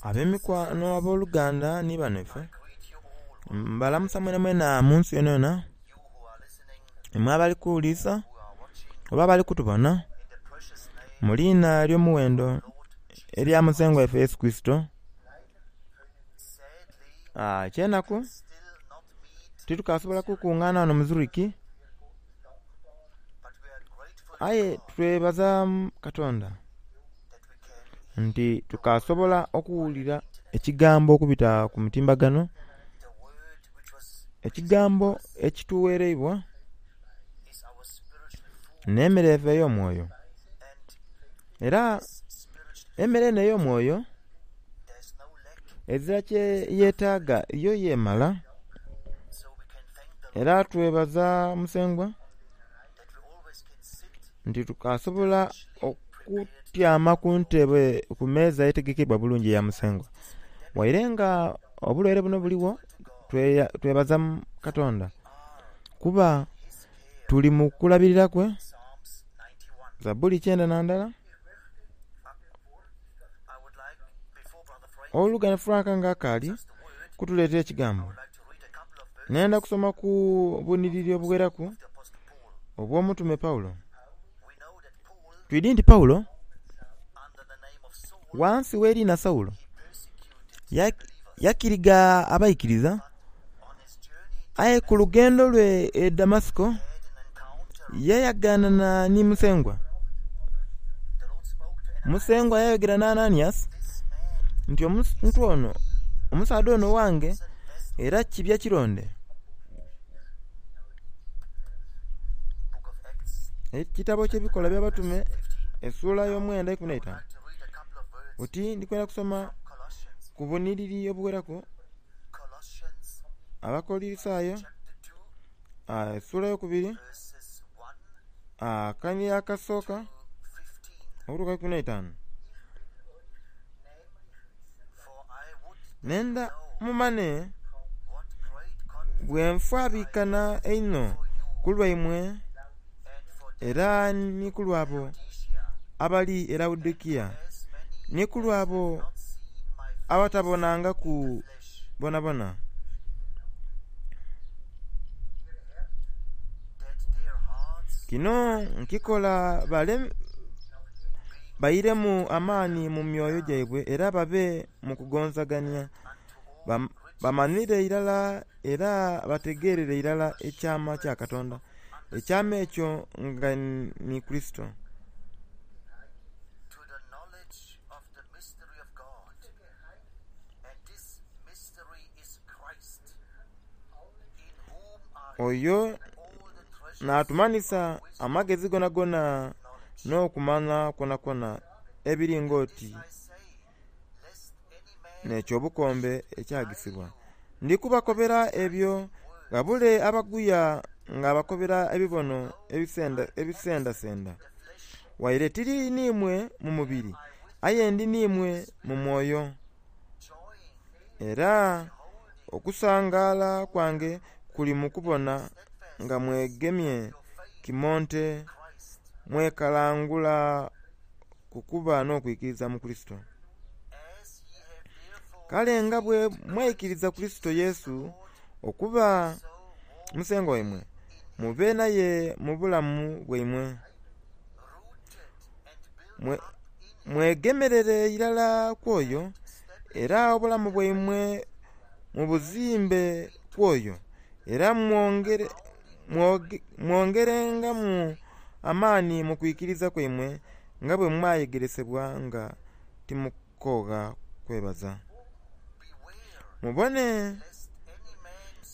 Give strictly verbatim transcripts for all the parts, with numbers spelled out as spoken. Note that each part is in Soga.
Ab'emikwano, aboluganda nhi banhaife, mbalamusa mwenamwena munsi yonayona imwe abali kughulilisa oba abali kutubonha mu liina ely'omughendo elya musengwa ghaife Yesu Kurisito. Eky'enaku titukasobola kukunganha ghano mu Zurich aye twebaza Katonda nti tukasobola okughulira ekigambo okubita ku mutimbagano, ekigambo ekitughereibwa n'emere yaife ey'omwoyo. Era emere eno ey'omwoyo ezira kyeyetaaga yo yemala era twebaza musengwa nti tukasobola okutyama ku ntebe ku meeza etegekeibwa obulungi eya musengwa. Ghaire nga obulwaire buno buligho, twebaza Katonda kuba tuli mu kulabirira kwe. Zabbuli kyenda na ndala. Owoluganda Frank nga akaali kutuleetera ekigambo, nhenda kusoma ku bunhiliri obugheraku obw'omutume Paulo. Twidhi nti Paulo ghansi gh'eriina Saulo yakiriga abaikiriza aye ku lugendo lwe e Damasiko yayaganana ni Musengwa. Musengwa yayogera ni Ananias nti omuntu ono, omusaadha ono ghange era kibya kironde. Ekitabo eky'Ebikolwa Eby'Abatume esula ey'omwenda eikumi n'eitanu oti ndi kwenda kusoma ku bunhiliri obugheraku Abakolisayo esula ey'okubiri akanhiliri akasooka okutuuka ku ikumi n'eitanu. Nenda mumanhe bwe nfaabiikana einho ku lwaimwe era ni ku lw'abo abali e Lawodikiya, ni ku lw'abo abatabonangaku boonaboona. Kino nkikola bairemu amaani mu myoyo gyaibwe era babe mu kugonzagania, bamanhire irala era bategeerere irala ekyama kya Katonda, ekyama ekyo nga ni Kurisito. Oyo n'atumanhisa amagezi goonagoona n'okumanha kwonakwona ebiri ng'oti n'eky'obukombe ekyagisibwa. Ndi kubakobera ebyo ghabule abaguya ng'abakobera ebibono ebisendasenda. Waire tiri n'imwe mu mubiri, aye ndi n'imwe mu mwoyo. Era okusangaala kwange kuli mu kubona nga mwegemye kimonte mwekalangula ku kuba n'okwikiriza mu Kurisito. Kale nga bwe mwaikiriza Kurisito Yesu okuba Musengwa waimwe, mube naye mu bulamu bwaimwe. Mwegemerere irala ku oyo, era obulamu bwaimwe mubuzimbe ku oyo, era mwongerengamu amaani mu kwikiriza kwaimwe nga bwe mwayegeresebwa nga timukoogha kwebaza. Mubone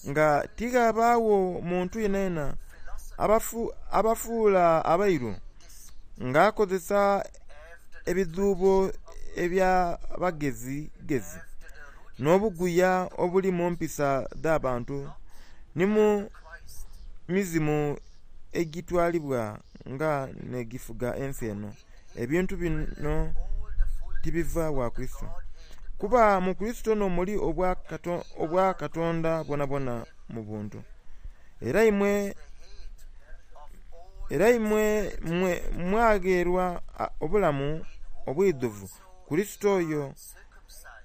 nga tighabaagho muntu yenayena abafuula abairu ng'akozesa ebidhuubo eby'abagezigezi n'obuguya obuli mu mpisa dh'abantu ni mu mizimu egitwalibwa nga n'egifuga ensi eno. Ebintu bino tibiva wa Kurisito. Kuba mu Kurisito n'omuli Obwakatonda bwonabwona mu buntu. Era imwe era imwe mwagheerwa obulamu obwidhuvu Kurisito oyo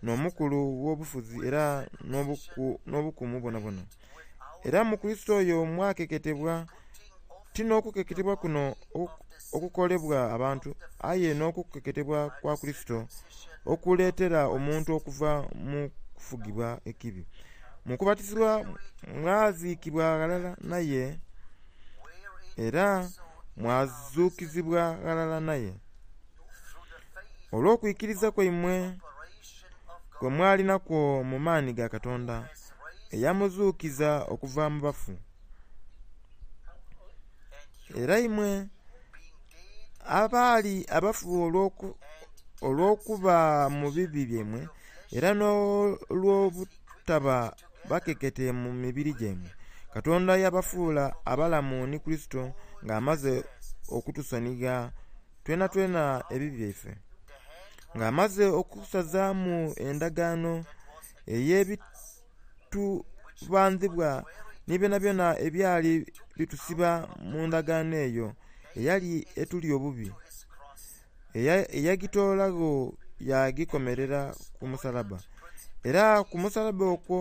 n'omukulu w'obufuzi era n'obukumu bwonabwona. Era mu Kurisito oyo mwakeketebwa, ti n'okukeketebwa kuno okukolebwa abantu, aye n'okukeketebwa kwa Kurisito okuleetera omuntu okuva mu kufugibwa ekibi. Mu kubatizibwa mwaziikibwa ghalala naye era mwazuukizibwa ghalala naye olw'okwikiriza kwaimwe kwe mwali nakwo mu maani ga Katonda eyamuzuukiza okuva mu bafu. Era imwe abaali abafu olw'okuba mu bibi byaimwe era n'olw'obutaba bakekete mu mibiri gyaimwe, Katonda yabafuula abalamu ni Kurisito ng'amaze okutusonigha twenatwena ebibi byaife. Ng'amaze okusazaamu endagaano ey'ebitubandhibwa ni byonabyona ebyali bitusiba mu ndagaano eyo eyali etuli obubi, eyagitoolagho yaagikomerera ku musalabba. Era ku musalabba okwo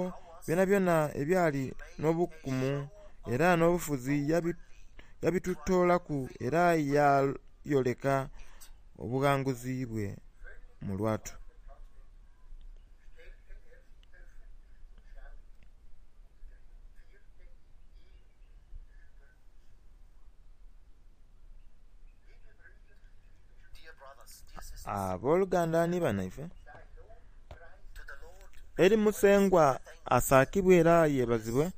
byonabyona ebyali n'obukumu era n'obufuzi yabitutoolaku era yayoleka obughanguzi bwe mu lwatu. Abooluganda ni banaife, eri Musengwa asaakibwe era yebazibwe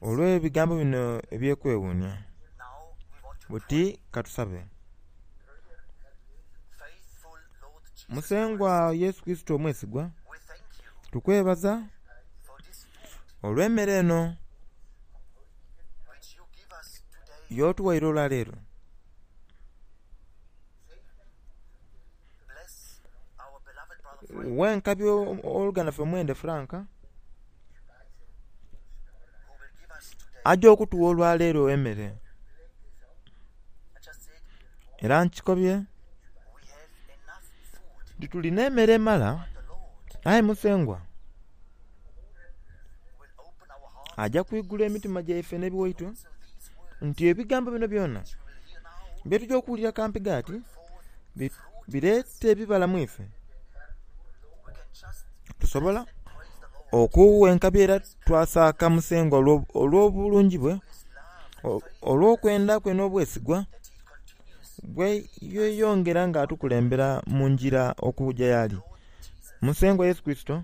olw'ebigambo bino eby'okwewuunia. Buti katusabe. Musengwa Yesu Kurisito omwesigwa, tukwebaza olw'emmere eno y'otuwaire olwaleero. Wenkabi owooluganda lwaife Mwende Frank aja okutuwa olwaleero emmere era nkikobye nti tulina emmere emala aye Musengwa aja kwigula emitima gyaife n'ebiwaito nti ebigambo bino byona byetuja okuwulira kampiga ati bireete ebibala mu ife. Tusobola okuwa enkabi era twasaaka Musengwa olw'obulungi bwe, olw'okwenda kwe n'obwesigwa bwe yeyongera nga atukulembera mu ngira okuja y'ali. Musengwa Yesu Kurisito,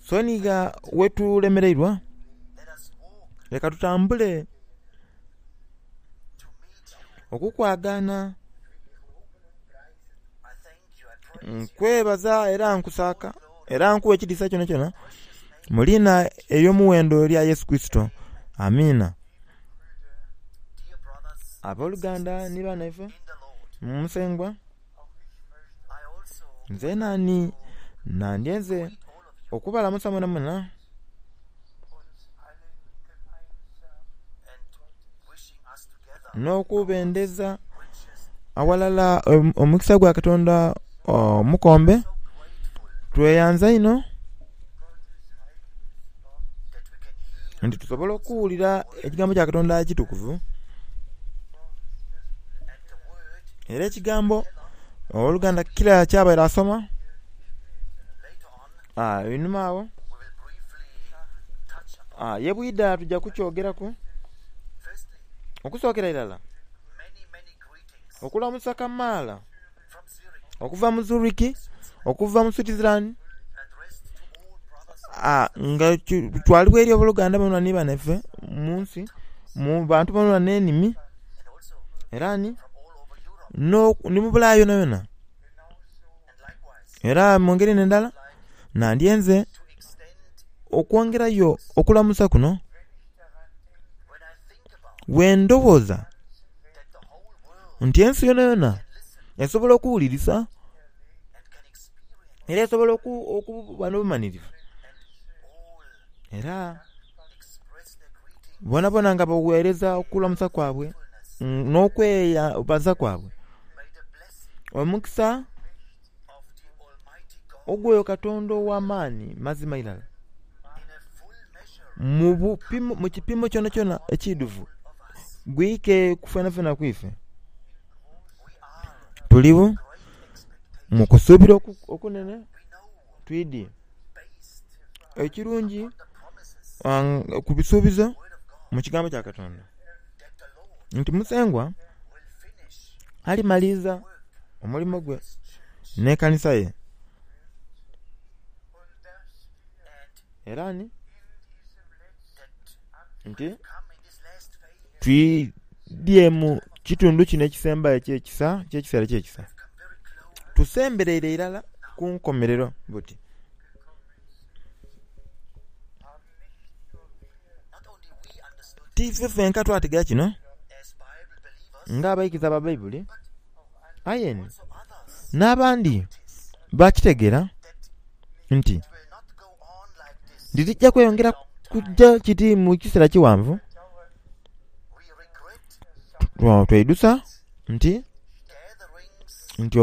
sonigha wetulemereirwa, leka tutambule okukwagaana. Nkwebaza era nkusaaka era nkuwa ekitiisa kyonakyona mu liina ery'omuwendo erya Yesu Kurisito. Amiina. Abooluganda ni banaife mu Musengwa, nze naani nandyenze okubalamusa mwenamwena n'okubendeza awalala omukisa gwa Katonda omukombe. Tweyanza inho nti tusobola okuwulira ekigambo kya Katonda ekitukuvu era ekigambo owooluganda kila kyabaire asoma einhuma agho ye bwidha tuja kukyogeraku. Okusookera irala okulamusa kamaala okuva mu Zurich, okuva mu Switzerland, nga kitwalibwa eri abooluganda bonabona ni banaife mu nsi, mu bantu bonabona n'enimi era ni ni mu Bulaya yonayona. Era mu ngeri n'endala nandyenze okwongerayo okulamusa kuno bwe ndowooza nti ensi yonayona esobola okuwulirisa era esobola okuba n'obumanhirivu era bonabona nga bagheereza okulamusa kwabwe n'okwebaza kwabwe. Omukisa Ogw'oyo Katonda ow'amaani mazima irala mu bupimo, mu kipimo kyonakyona ekiidhuvu gwike ku fenafena ku ife. Tuliwo mu kusuubira okunene twidhie ekirungi ku bisuubizo mu kigambo kya Katonda nti Musengwa alimaliriza omulimo gwe n'ekanisa ye. Era ni nti twidhye mu kitundu kino ekisembayo eky'ekisa, eky'ekiseera eky'ekisa. Tusembereire irala ku nkomerero buti. Ti ife fenka twategeera kino ng'abaikiriza ba Baibuli, aye ni n'abandi bakitegeera nti titujja kweyongera kujja kiti mu kiseera kiwanvu. Tweidusa nti nti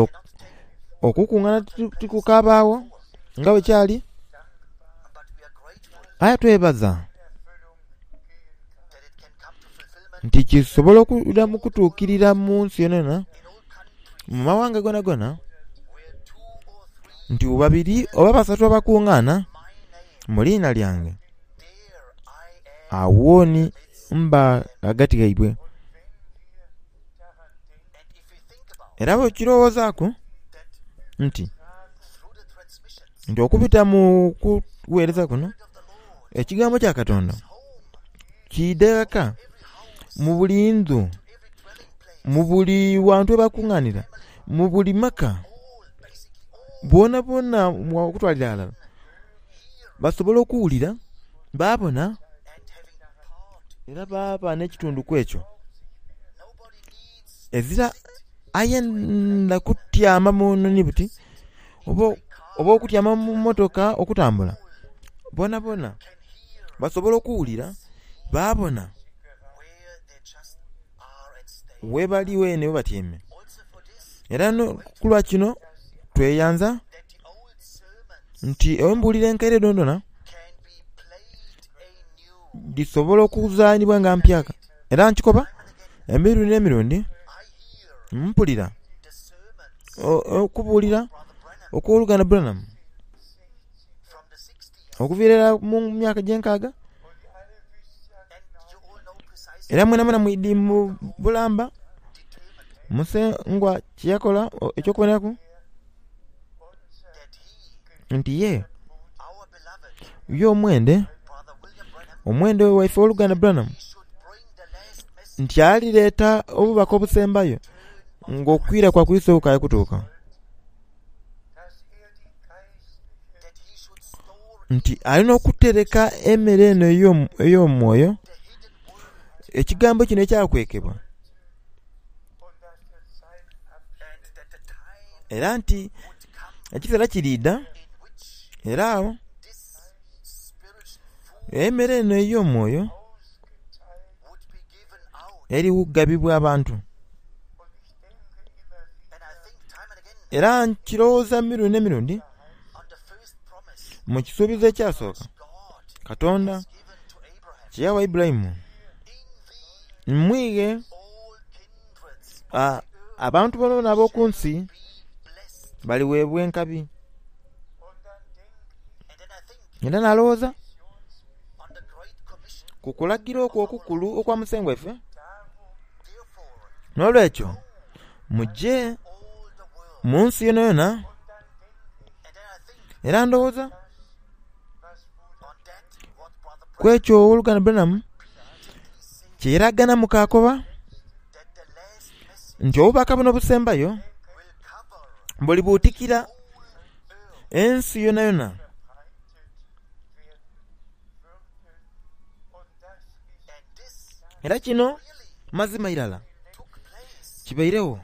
okukungana tikukaabagho nga bwe kyali, aye twebaza nti kisobola okuddamu okutuukirira mu nsi yonayona, mu mawanga gonagona, nti babiri oba basatu abakungaana mu liina lyange, awo ni mba ghagati ghaibwe. Era bw'okirowoozaaku nti nti okubita mu kuweereza kuno, ekigambo kya Katonda kiidha ghaka mu buli ndhu, mu buli wantu ghebakunganira, mu buli maka, boonaboona okutwalira ghalala basobola okuwulira, baabona era baaba n'ekitundu ku ekyo. Ezira ayenda kutyama mu nhonhi buti oba okutyama mu motoka okutambula, boonaboona basobola okuwulira baabona ghebali ghene ghebatyaime. Era kulwa kino tweyanza nti embuuliro enkaire dhonadhona dhisobola okuzanhibwa nga mpyaka. Era nkikoba emirundi n'emirundi mpulira okubuulira okw'oluganda Branham okuviira irala mu myaka egy'enkaaga. Era mwenamwena mwidhi mu bulamba Musengwa kyeyakola eky'okuboneraku nti ye ye omwende, omwende waife ow'oluganda Branham, nti alireeta obubaka obusembayo ng'okwira kwa Kurisito kukaali kutuuka. Nti alina okutereka emere eno ey'omwoyo, ekigambo kino ekyakwekebwa, era nti ekiseera kiriidha era agho emere eno ey'omwoyo erigabibwa abantu. Era nkirowooza mirundi n'emirundi mu kisuubizo ekyasooka Katonda kye yawa Ibulayimu, mwighe abantu boonaboona ab'oku nsi baliweebwa enkabi. Era nalowooza ku kulagira okwo okukulu okwa Musengwa waife, n'olwekyo muje mu nsi yonayona. Era ndowooza ku ekyo ow'oluganda Branham kye yalaganamu kaakoba nti obubaka buno obusembayo bulibuutikira ensi yonayona. Era kino mazima irala kibairegho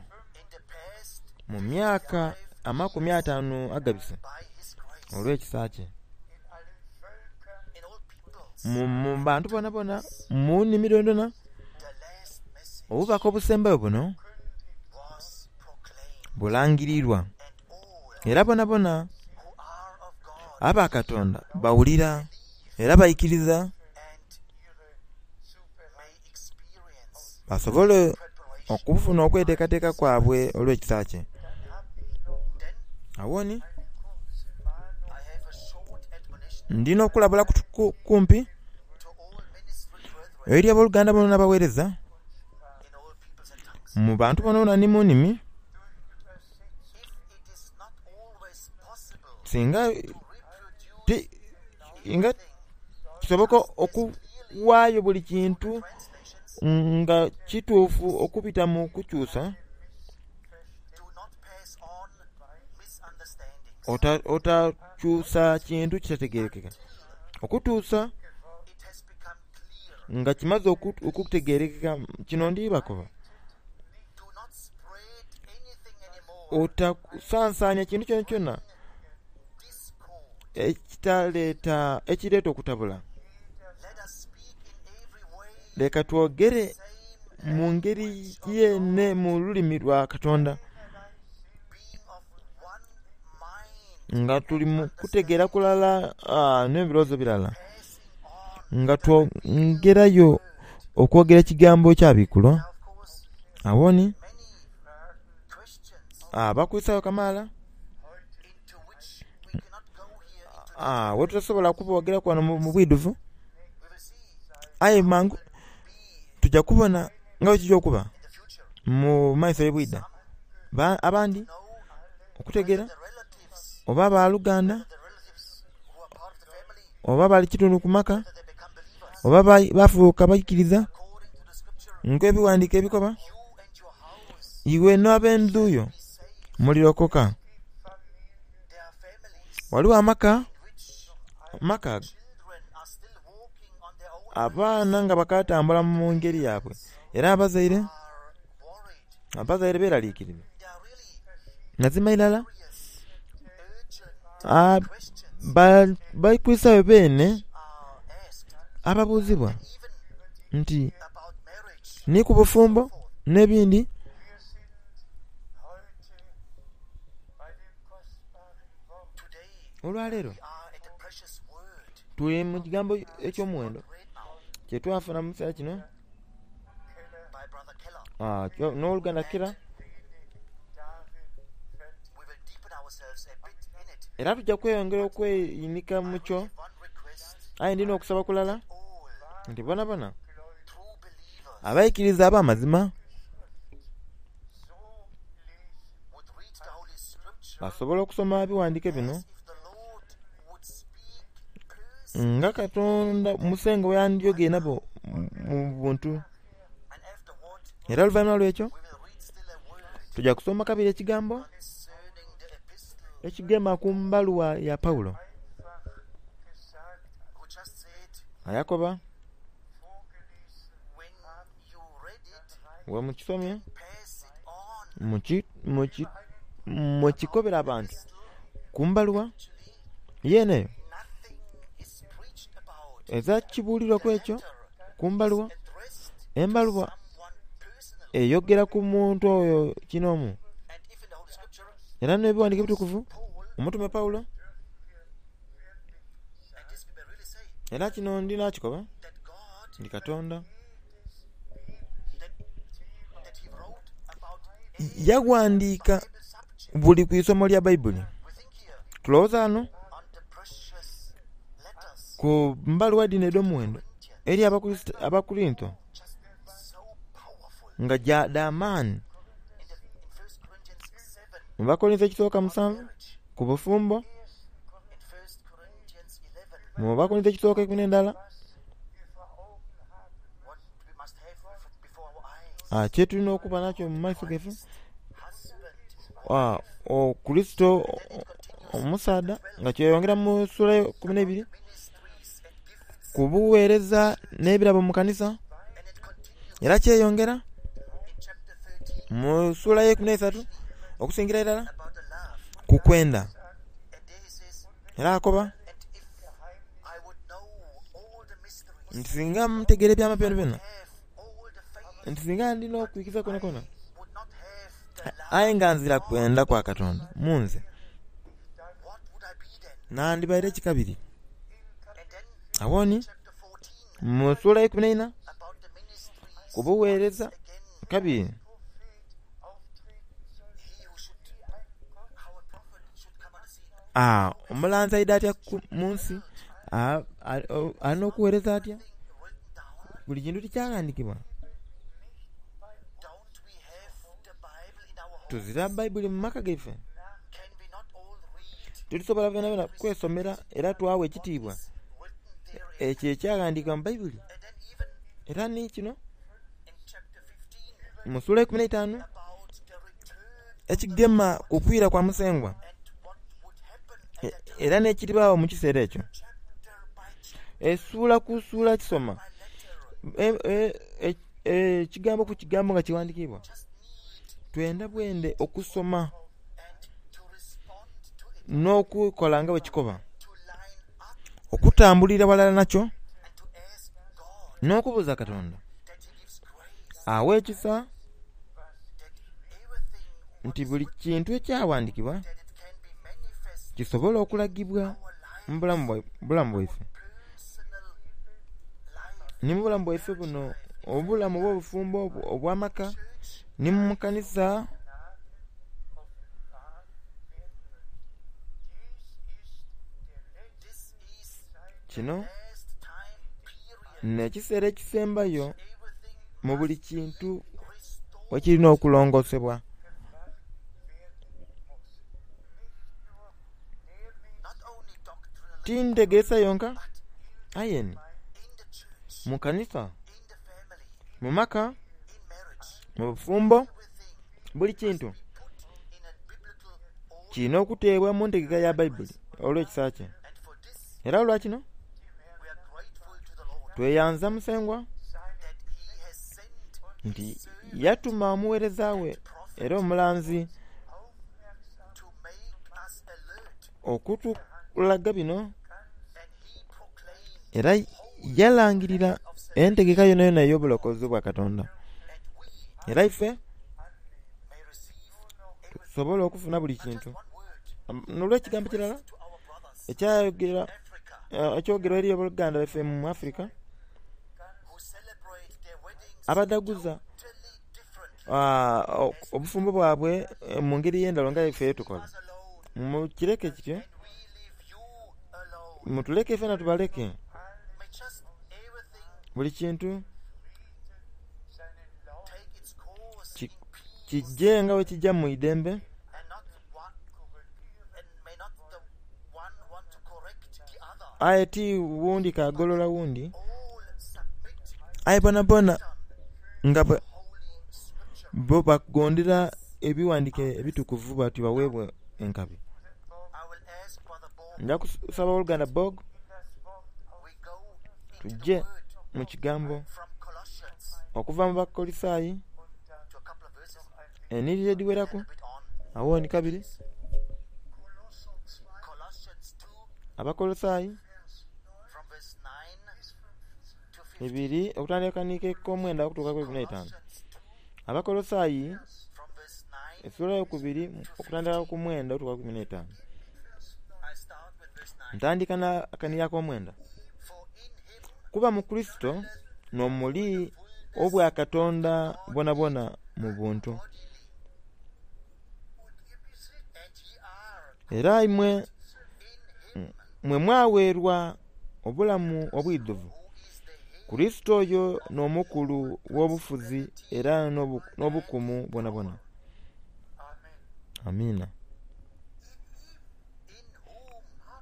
mu myaka amakumi ataanu agabise olw'ekisa kye. Mu bantu boonaboona, mu nnimi dhonadhona, obubaka obusembayo buno bulangirirwa era boonaboona Aba Katonda bawulira era baikiriza basobole okufuna okweteekateeka kwabwe olw'ekisa kye. Awoni ndina okulabula kumpi eri abooluganda bonabona abaweereza mu bantu bonabona ni mu nnimi. Singa ti nga kisoboka okuwaayo buli kintu nga kituufu okubita mu kukyusa, otakyusa kintu kitategerekeka okutuusa nga kimaze okutegerekeka. Kino ndi bakoba, otasansaania kintu kyonakyona ekitaleeta ekireeta okutabula. Leka twogere mu ngeri yeene mu lulimi lwa Katonda nga tuli mu kutegeera kulala n'ebirowoozo birala, nga twongerayo okwogera ekigambo ekyabikulwa. Awoni abakwisayo kamaala wetutasobola kuboogeraku wano mu bwidhuvu, aye mangu tujja kubona nga bwekijja okuba mu maiso ebwidha. Abandi okutegeera oba baluganda oba bali kitundu ku maka oba bafuuka baikiriza ng'ebiwandiike ebikoba, iwe n'ab'endhu yo mulirokoka. Waliwo amaka maka abaana nga bakatambula mu ngeri yaabwe era abazaire abazaire beeraliikirira. Mazima irala bakwisayo beene ababuuzibwa nti ni ku bufumbo n'ebindi. Olwaleero tuli mu kigambo eky'omuwendo kyetwafuna mu kiseera kino n'oluganda Kira, era tujja kweyongera okweyinika mu kyo. Aye ndina okusaba kulala nti bonabona abaikiriza ab'amazima basobola okusoma ebiwandiike bino nga Katonda Musengwa bwe yandyogere nabo mu buntu. Era oluvainhuma lw'ekyo tujja kusoma kabiri ekigambo ekigema ku mbaluwa ya Paulo ayakoba bwe mukisomye mukikobera abantu ku mbaluwa yeene eyo eza kibuulirwaku ekyo ku mbaluwa. Embaluwa eyogera ku muntu oyo kinoomu, era n'ebiwandiike ebitukuvu omutume Paulo, era kino ndina kikoba nti Katonda yaghandiika buli ku isomo lya Baibuli. Tulowooza ghano ku mbaluwa dhino edh'omuwendo eri Abakurinto nga dha maani. Mu Bakolinso ekisooka musanvu ku bufumbo, mu Bakolinso ekisooka ikumi n'endala kyetulina okuba nakyo mu maiso gaife, Kurisito omusaadha nga kyeyongera mu sula eikumi n'eibiri ku bugheereza n'ebirabo mu kanisa, era kyeyongera mu sula eyeikumi n'eisatu okusingira irala ku kwenda. Era akoba nti singa mutegeera ebyama byonabyona, nti singa ndina okwikiriza kwonakwona, aye nga nzira kwenda kwa Katonda mu nze, Nandibaire ki kabiri? Awoni mu ssuula eikumi n'eina ku buweereza kabiri aa omulanzi aidha atya mu nsi? Alina okuweereza atya? Buli kintu tikyaghandikibwa. Tuzira Baibuli mu maka gaife? Titusobola bwenabwena kwesomera era twawa ekitiibwa ekyo ekyaghandikibwa mu Baibuli? Era ni kino mu ssuula eikumi n'eitaanu ekigema ku kwira kwa Musengwa era n'ekiribaawo mu kiseera ekyo. Essuula ku ssuula kisoma ekigambo ku kigambo nga kiwandikiibwa. Twenda bwende okusoma n'okukola nga bwe kikoba, okutambulira ghalala nakyo n'okubuuza Katonda awe ekisa nti buli kintu ekyawandikibwa kisobola okulagibwa mu bulamu bwaife. Ni mu bulamu bwaife buno, obulamu obw'obufumbo obw'amaka, ni mu kanisa. Kino n'ekiseera ekisembayo mu buli kintu wekirina okulongosebwa. Tintegeesa yonka aye ni mu kanisa, mu maka, mu bufumbo, buli kintu kirina okuteebwa mu ntegeka ya Baibuli olw'ekisa kye. Era olwa kino tweyanza Musengwa nti yatuma omuweereza we era omulanzi okutulaga bino, era yalangirira entegeka yonayona ey'obulokozi bwa Katonda. Era ife tusobola okufuna buli kintu n'olw'ekigambo kirala ekyayogera ekyogerwa eri abooluganda baife mu Africa abadhaguza obufumbo bwabwe mu ngeri ey'endhaghulo nga ife yetukola. Mukireke kityo, mutuleke fena tubaleke. Buli kintu kijje nga bwekijja mu idembe, aye ti wundi kagolola wundi, aye bonabona nga bo bagondera ebiwandike ebitukuvu batyo baweebwe enkabi. Nja kusaba oluganda Bog tujje mu kigambo okuva mu Bakolisaayi enhiriri edhiweraku awo ni kabiri. Abakolosaayi ibiri okutandika ni k'omwenda okutuuka ku ikumi n'eitaanu. Abakolosaayi essuula ey'okubiri okutandika ku mwenda okutuuka ku ikumi n'eitaanu. Ntandika n'akanhiriri ak'omwenda. Kuba mu Kurisito n'omuli obwakatonda bwonabwona mu buntu. Era imwe mwe mwaweerwa obulamu obwidhuvu. Kurisito oyo n'omukulu w'obufuzi era n'obukumu bwonabwona. Amiina.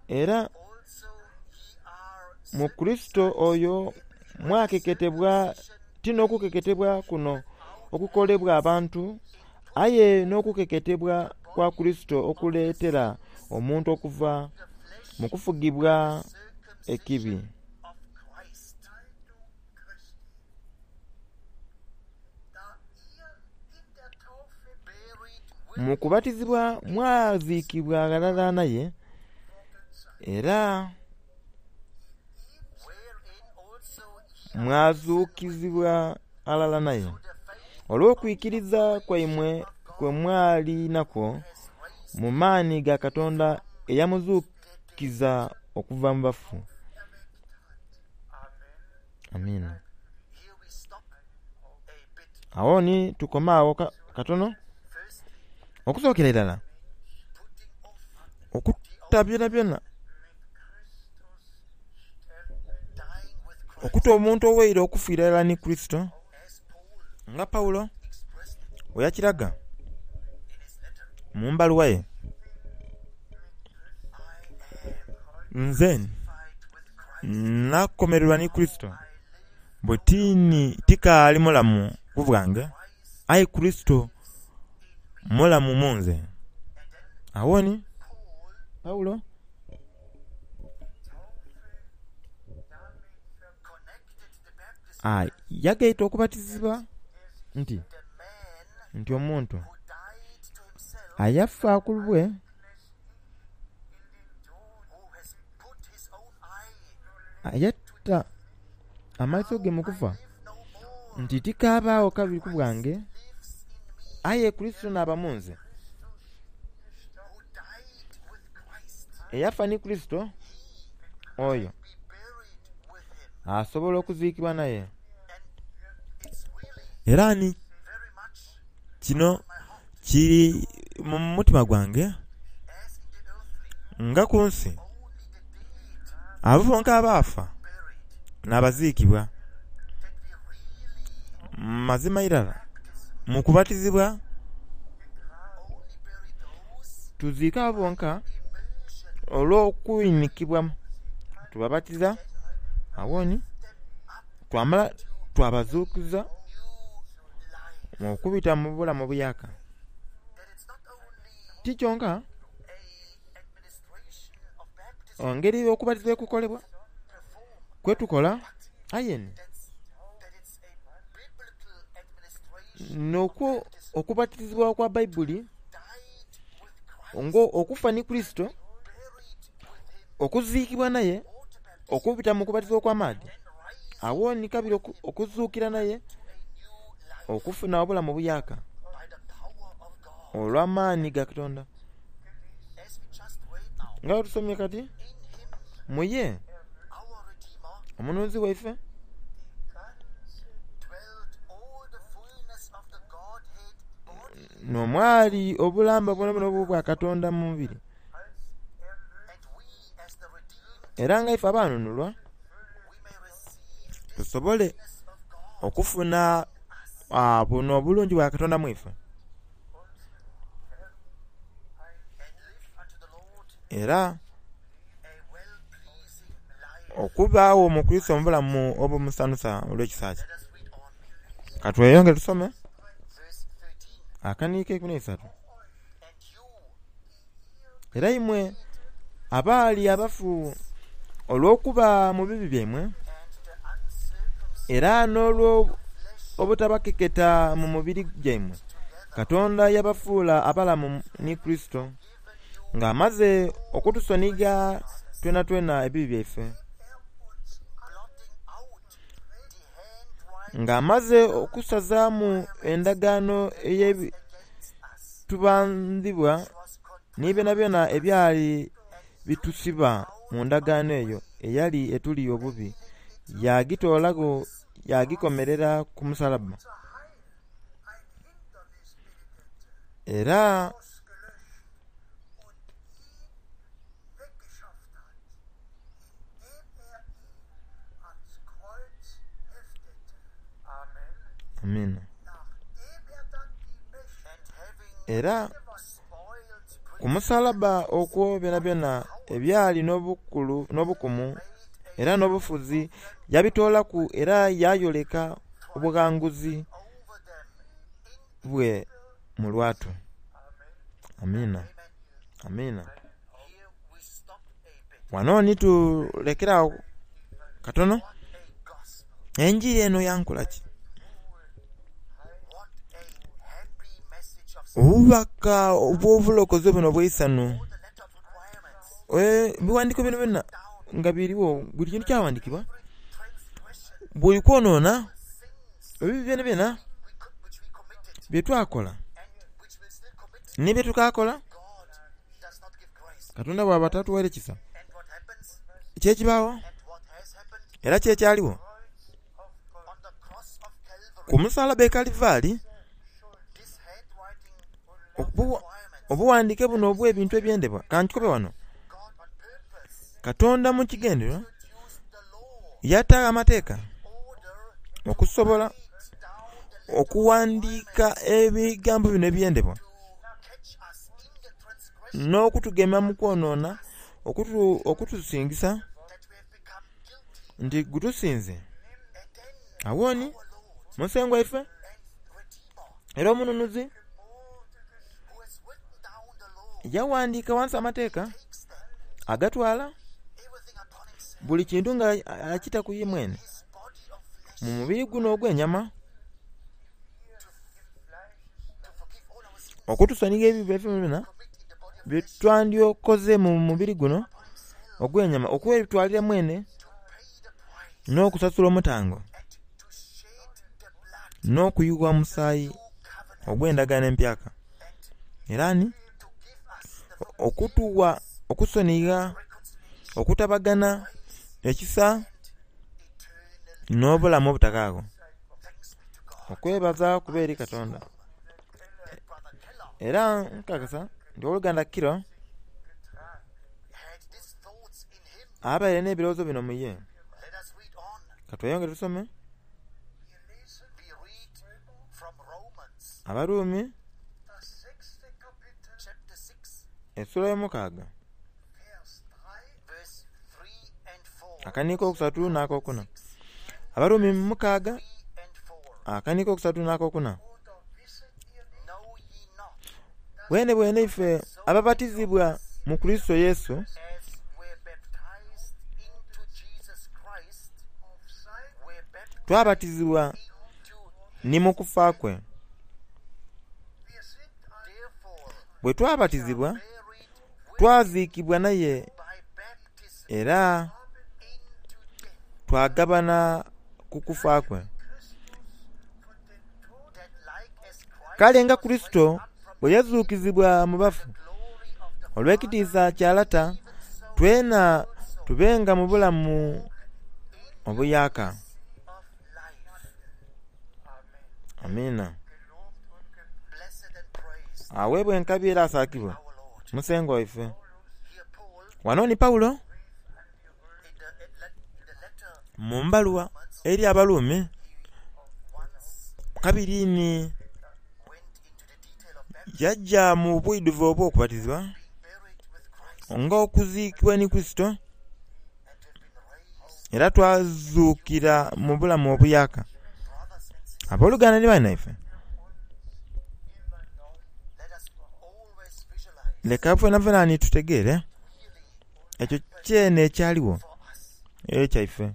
Era mu Kurisito oyo mwakeketebwa ti n'okukeketebwa kuno okukolebwa abantu, aye n'okukeketebwa kwa Kurisito okuleetera omuntu okuva mu kufugibwa ekibi. Mu kubatizibwa mwaziikibwa ghalala naye, era mwazuukizibwa ghalala naye olw'okwikiriza kwaimwe kwe mwali nakwo mu maani ga Katonda eyamuzuukiza Yamuzuukiza okuva mu bafu. Amiina. Awo ni tukome awo katono. Okusookera irala okutta byonabyona, okutta omuntu owaira okufiira irala ni Kurisito, nga Pawulo bweyakiraga mu mbaluwa ye. Nze nakomererwa ni Kurisito, bwe tini tikaali mulamu ku bwange, aye Kurisito mulamu mu nze. Awo ni Pawulo yagaita okubatizibwa nti nti omuntu ayafa ku lulwe ayatta amaiso ge mu kufa nti tikaabagho kabiri ku bwange, aye Kurisito naaba mu nze. Eyafa ni Kurisito oyo asobola okuziikibwa naye. Era ni kino kiri mu mutima gwange nga ku nsi abo bonka abaafa n'abaziikibwa. Mazima irala mu kubatizibwa tuziika abo bonka olw'okwinikibwa tubabatiza awo ni twamala twabazuukiza okubita mu bulamu obuyaaka. Ti kyonka engeri okubatizibwa ekukolebwa kwetukola aye ni n'okwo okubatizibwa okwa Baibuli nga okufa ni Kurisito, okuziikibwa naye okubita mu kubatizibwa okw'amaadhi, awo ni kabiri okuzuukira naye okufuna obulamu obuyaaka olw'amaani ga Katonda. Nga bwe tusomye kati, mu ye omununuzi waife n'omwali obulamba bwonabwona obwa Katonda mu mubiri. Era nga ife abanunulwa tusobole okufuna buno obulungi bwa Katonda mu ife. Era okubaagho mu Kurisito mu bulamu obumusanhusa olw'ekisa kye. Katweyongere tusome akaniiko eikumi n'eisatu. Era imwe abaali abafu olw'okuba mu bibi byaimwe, era n'olwo obutabakeketa mu mubiri gyaimwe, Katonda yabafuula abalamu ni Kurisito, ng'amaze okutusonigha twenatwena ebibi byaife, ng'amaze okusazaamu endagaano ey'ebitubandhibwa ni byonabyona ebyali bitusiba mu ndagaano eyo eyali etuli obubi, yagitoolagho yagikomerera ku musalaba. Era Amiina. Era ku musalaba okwo byonabyona ebyali n'obukulu n'obukumu era n'obufuzi yabitoolaku era yayoleka obughanguzi bwe mu lwatu. Amiina. Amiina. Wano ni tulekerawo katono. Enjiri eno yankola ki? Obubaka obw'obulokozi buno obw'eisanhu, ebiwandiiko bino byona nga biriwo, buli kintu kyawandikibwa, buli kwonoona ebibi byonabyona bye twakola ni bye tukaakola, Katonda bw'aba tatuwaire kisa, Kyekibawo era kyekyaliwo ku musalaba e Kalivaali. Obuwandike buno obw'ebintu ebyendebwa kankikobe wano, Katonda mu kigendererwa yataagho amateeka okusobola okuwandiika ebigambo bino ebyendebwa n'okutugema mu kwonoona, okutusingisa nti gutusinze. Awo ni Musengwa ife era omununuzi yawandiika ghansi amateeka agatwala buli kintu nga akita ku ye mwene mu mubiri guno ogw'enyama okutusonigha ebibi byaife byonabyona byetwandyokoze mu mubiri guno ogw'enyama, okwetwalira mwene n'okusasula omutango n'okuyugha omusaayi ogw'endagaano empyaka, era ni okutuwa okusonigha, okutabagana, ekisa n'obulamu obutakaagho. Okwebaza kube eri Katonda. Era nkakasa nti owoluganda Kiro abaire n'ebirowoozo bino mu ye. Katweyongere tusome Abaruumi esula ey'omukaaga akaniiko okusatu n'akokuna. Abaruumi mukaaga akaniiko okusatu n'akokuna. Bwene bwene ife ababatizibwa mu Kurisito Yesu twabatizibwa ni mu kufa kwe. Bwe twabatizibwa twaziikibwa naye era twagabana ku kufa kwe. Kale nga Kurisito bwe yazuukizibwa mu bafu olw'ekitiisa kya Lata, twena tubenga mu bulamu obuyaaka. Amiina. Aweebwa enkabi era asaakibwe Musengwa waife. Wano ni Paulo mu mbaluwa eri Abaruumi kabiri ni yaja mu bwidhuvu obw'okubatizibwa nga okuziikibwa ni Kurisito, era twazuukira mu bulamu obuyaaka. Abooluganda ni banaife, leka fenafena ni tutegeere ekyo kyene ekyaligho ekyaife,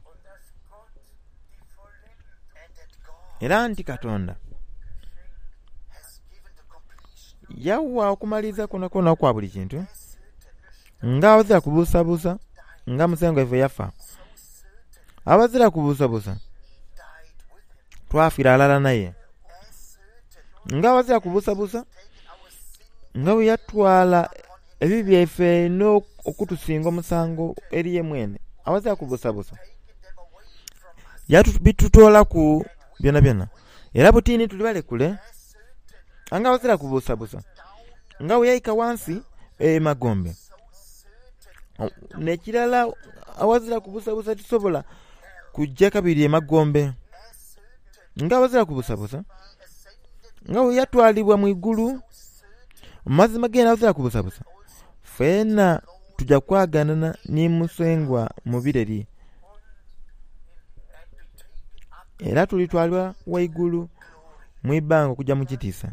era nti Katonda yawa okumaliriza kwonakwona okwa buli kintu nga abazira kubuusabuusa nga Musengwa waife yafa. Abazira kubuusabuusa twafiira ghalala naye, nga abazira kubuusabuusa nga bwe yatwala ebibi byaife n'okutusinga omusango eri ye mwene, awazira kubuusabuusa yabitutoolaku byonabyona. Era butini tuli balekule nga abazira kubuusabuusa nga bwe yaika ghansi emagombe. N'ekirala awazira kubuusabuusa tisobola kujja kabiri emagombe, nga abazira kubuusabuusa nga bwe yatwalibwa mu igulu. Mazima gene awazira kubuusabuusa ffena tuja kwaganana ni Musengwa mu bireri, era tulitwalibwa waigulu mu ibanga okujja mu kitiisa.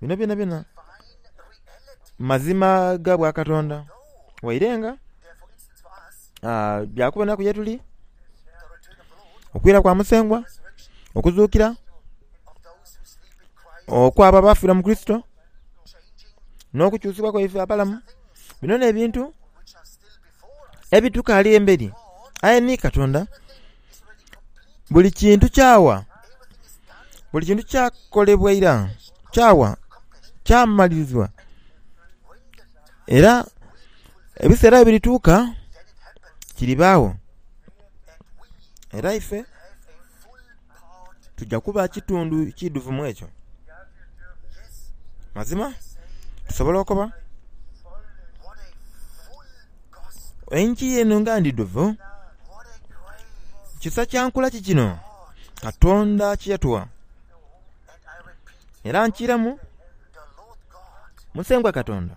Bino byonabyona mazima ga bwa Katonda, waire nga byakubonaku ye tuli okwira kwa Musengwa, okuzuukira okw'abo abafiira mu Kurisito n'okukyusibwa kwaife abalamu. Bino n'ebintu ebitukaali emberi, aye ni Katonda buli kintu kyawa, buli kintu kyakolebwa ira, kyawa, kyamalirizibwa. Era Ebiseera ebirituuka kiribaawo era ife tujja kuba kitundu kidhuvu mu ekyo. Mazima tusobola okuba enjiri eno nga ndidhuvu. Kisa kya nkula ki kino Katonda kye yatuwa? Era nkiiramu, Musengwa Katonda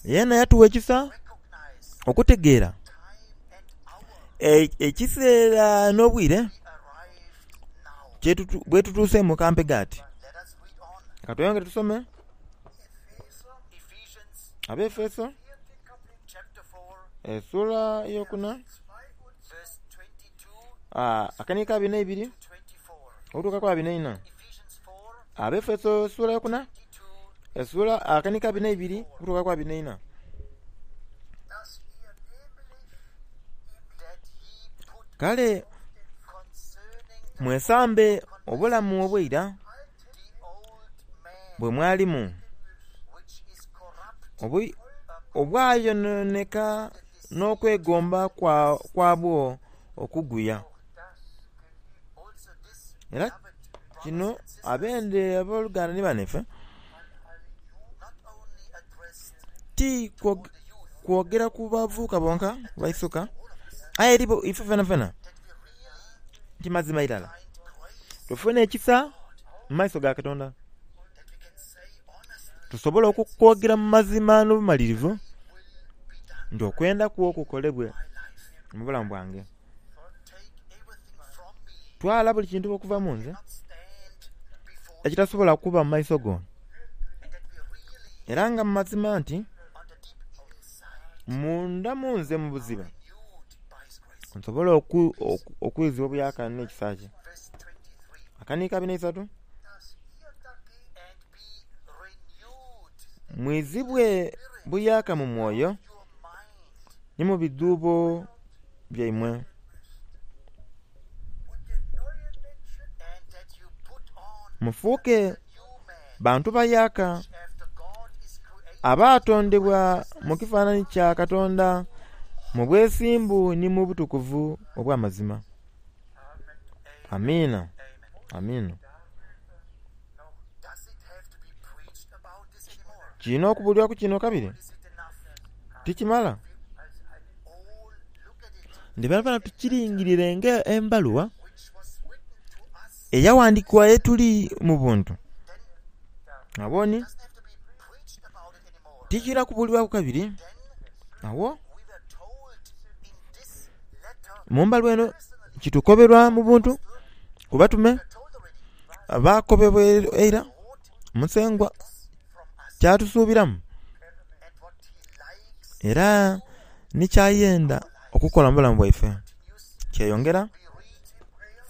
yeena yatuwa ekisa okutegeera ekiseera n'obwire bwetutuuseemu kampe ati. Ka tweyongere tusome Abaefeso esula eyokuna akaniiko ka abiri n'eibiri okutuuka ku abiri n'eina. Abaefeso esula eyokuna esula akaniiko abiri n'eibiri okutuuka ku abiri n'eina. Kale mwesambe obulamu obw'eira bwe mwalimu obwayononeka n'okwegomba kwabwo okuguya. Era kino abende aboluganda ni banaife ti kwogera ku bavubuka bonka baisuka, aye eri ife fenafena nti mazima irala tufune ekisa mu maiso ga Katonda, tusobole okukwogera mu mazima n'obumalirivu nti okwenda kwo kukolebwe mu bulamu bwange. Twala buli kintu okuva mu nze ekitasobola kuba mu maiso go, era nga mu mazima nti munda mu nze mu buziba nsobole okwizibwa obuyaka n'ekisa kye. Akaniiko abiri n'eisatu mwizibwe buyaka mu mwoyo ni mu bidhuubo byaimwe. Mufuuke bantu bayaka abaatondebwa mu kifaananyi kya Katonda mu bwesimbu ni mu butukuvu obw'amazima. Amiina, amiina. Kirina okubuulirwaku kino kabiri? Tikimala? Ndi tukiringirire nga embaluwa eyawandiikibwa ye tuli mu buntu. Aboni tikirina kubuulirwaku kabiri. Awo mu mbaluwa eno kitukoberwa mu buntu ku batume baakobebwa eira Musengwa kyatusuubiramu era ni kyayenda okukola mu bulamu bwaife. Kyeyongera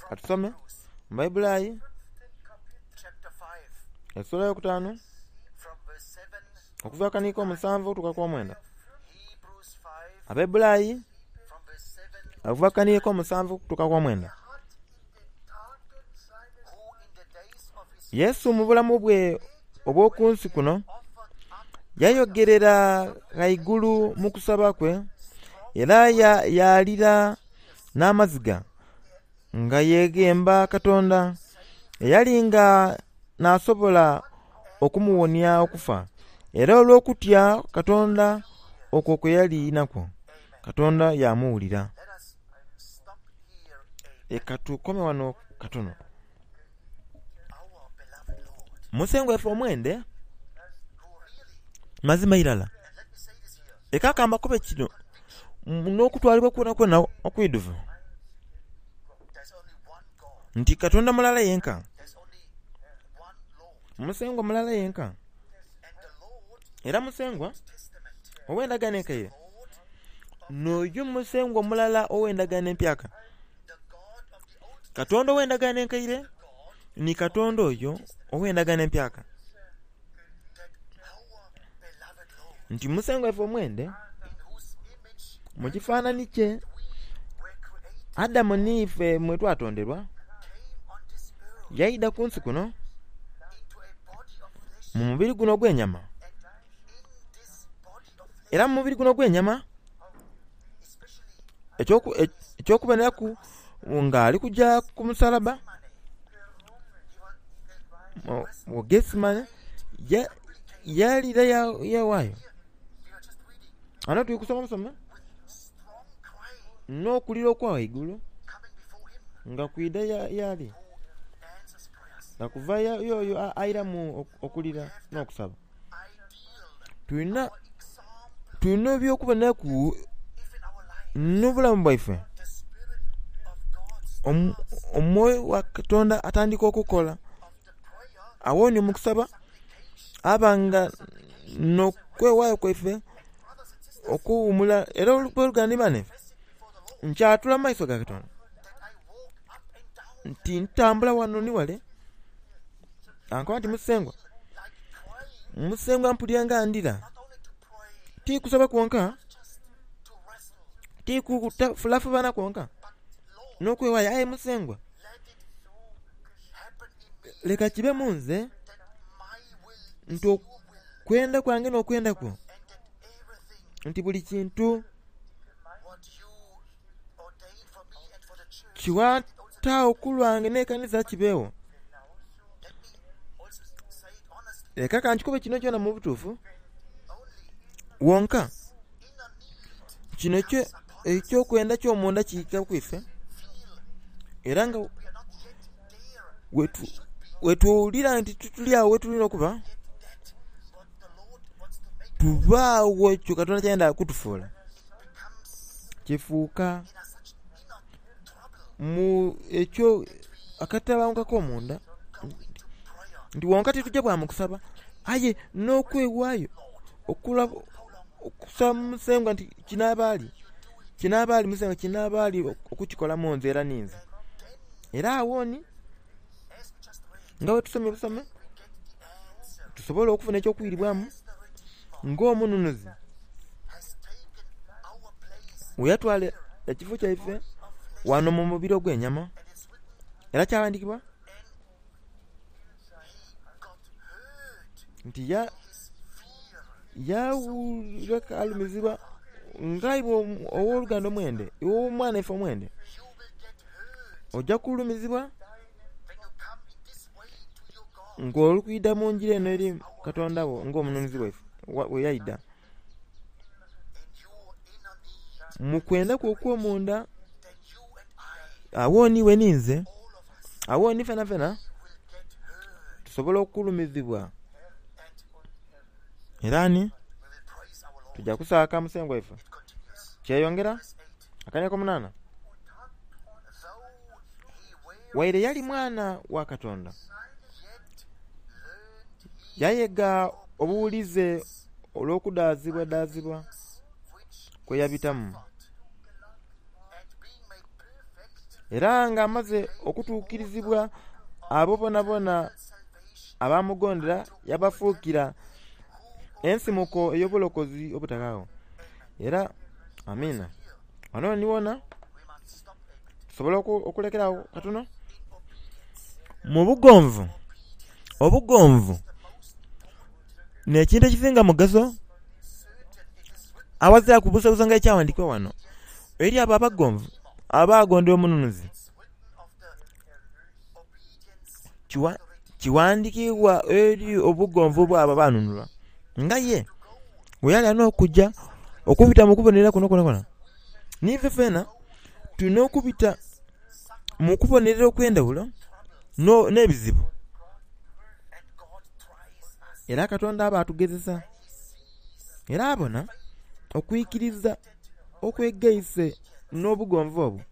katusome mu Baibulayi esula eyokutaanu okuva akaniiko omusanvu okutuuka ku omwenda. Abaibulayi okuva akaniiko omusanvu okutuuka ku omwenda. Yesu mu bulamu bwe obw'oku nsi kuno yayogerera ghaigulu mu kusaba kwe era yalira n'amaziga nga yeeghemba Katonda eyali nga n'asobola okumuwonia okufa, era olw'okutya Katonda okwo kwe yali nakwo, Katonda yamuwulira. Leka tukome wano katono. Musengwa ife omwende mazima irala leka kamba kube kino n'okutwalibwa kwonakwona okwidhuvu nti Katonda mulala yenka, Musengwa mulala yenka, era Musengwa ow'endagaano enkaire n'oyo Musengwa mulala ow'endagaano empyaka. Katonda ow'endagaano enkaire ni Katonda oyo ow'endagaano empyaka. Nti Musengwa ife omwende mu kifaananyi kye Adamu n'ife mwe twatonderwa, yaidha ku nsi kuno mu mubiri guno ogw'enyama Era mu mubiri guno ogw'enyama, eky'okuboneraku nga ali kujja ku musalaba mu Gethsemane, yalira yeghaayo. Ghano tuli kusoma busome n'okulira okwa ghaigulu nga kwidha y'ali, nga kuva y'oyo airamu okulira n'okusaba. Tulina tulina eby'okuboneraku n'obulamu bwaife. Omwoyo wa Katonda atandika okukola. Awo ni mu kusaba aba nga n'okwewaayo kwaife okuwumula. Era oluganda ni bane, nkyatula mu maiso ga Katonda nti ntambula wano ni wale, ankoba nti Musengwa, Musengwa mpulira nga ndira. Ti kusaba kwonka, ti kufulafubana kwonka, n'okwewaayo. Aye Musengwa, leka kibe mu nze nti okwenda kwange n'okwenda kwo, nti buli kintu kiwataagho ku lwange n'ekanisa kibeewo. Leka kankikobe kino kyona mu butuufu wonka kino eky'okwenda ky'omunda kiika ku ife, era nga wetuwulira nti tituli agho wetulina okuba, tubaagho ekyo Katonda kyayenda kutufuula. Kifuuka mu ekyo akatabanguko ak'omunda nti wonka titujja bwa mu kusaba, aye n'okwewaayo okusaba Musengwa nti kinaaba ali, kinaaba ali Musengwa kinaaba ali okukikola mu nze era ninze. Era awo ni nga bwe tusomye busome, tusobola okufuna eky'okwiribwamu ng'omununuzi bwe yatwala ekifo kyaife wano mu mubiri ogw'enyama. Era kyawandikibwa nti yawulira alumizibwa nga iwe ow'oluganda omwende, iwe omwana ife omwende, ojja kulumizibwa ng'oli kwidha mu ngira eno eri Katonda wo ng'omununuzi waife bwe yaidha. Mu kwenda kwo okw'omunda, awo ni iwe ninze, awo ni fenafena tusobola okulumizibwa. Era ni tujja kusaaka Musengwa waife. Kyeyongera akanya ak'omunaana. Waire yali mwana wa Katonda, yayega obuwulize olw'okudaazibwadaazibwa kwe yabitamu. Era nga amaze okutuukirizibwa abo bonabona abamugondera, yabafuukira ensimuko ey'obulokozi obutaghaagho. Era amiina. Wano ni wona tusobola okulekera agho katono. Mu bugonvu, obugonvu n'ekintu ekisinga mugaso awazira kubuusabuusa nga ekyawandikibwa wano eri abo abagonvu abagondera omununuzi. Kiwandikibwa eri obugonvu bw'abo abanunulwa nga ye bwe yali alina okujja okubita mu kubonerera kuno kwonakwo. N'ife fena tulina okubita mu kubonerera okw'endhaghulo n'ebizibu. Era Katonda aba atugezesa era abona okwikiriza okwegaise n'obugonvu obwo.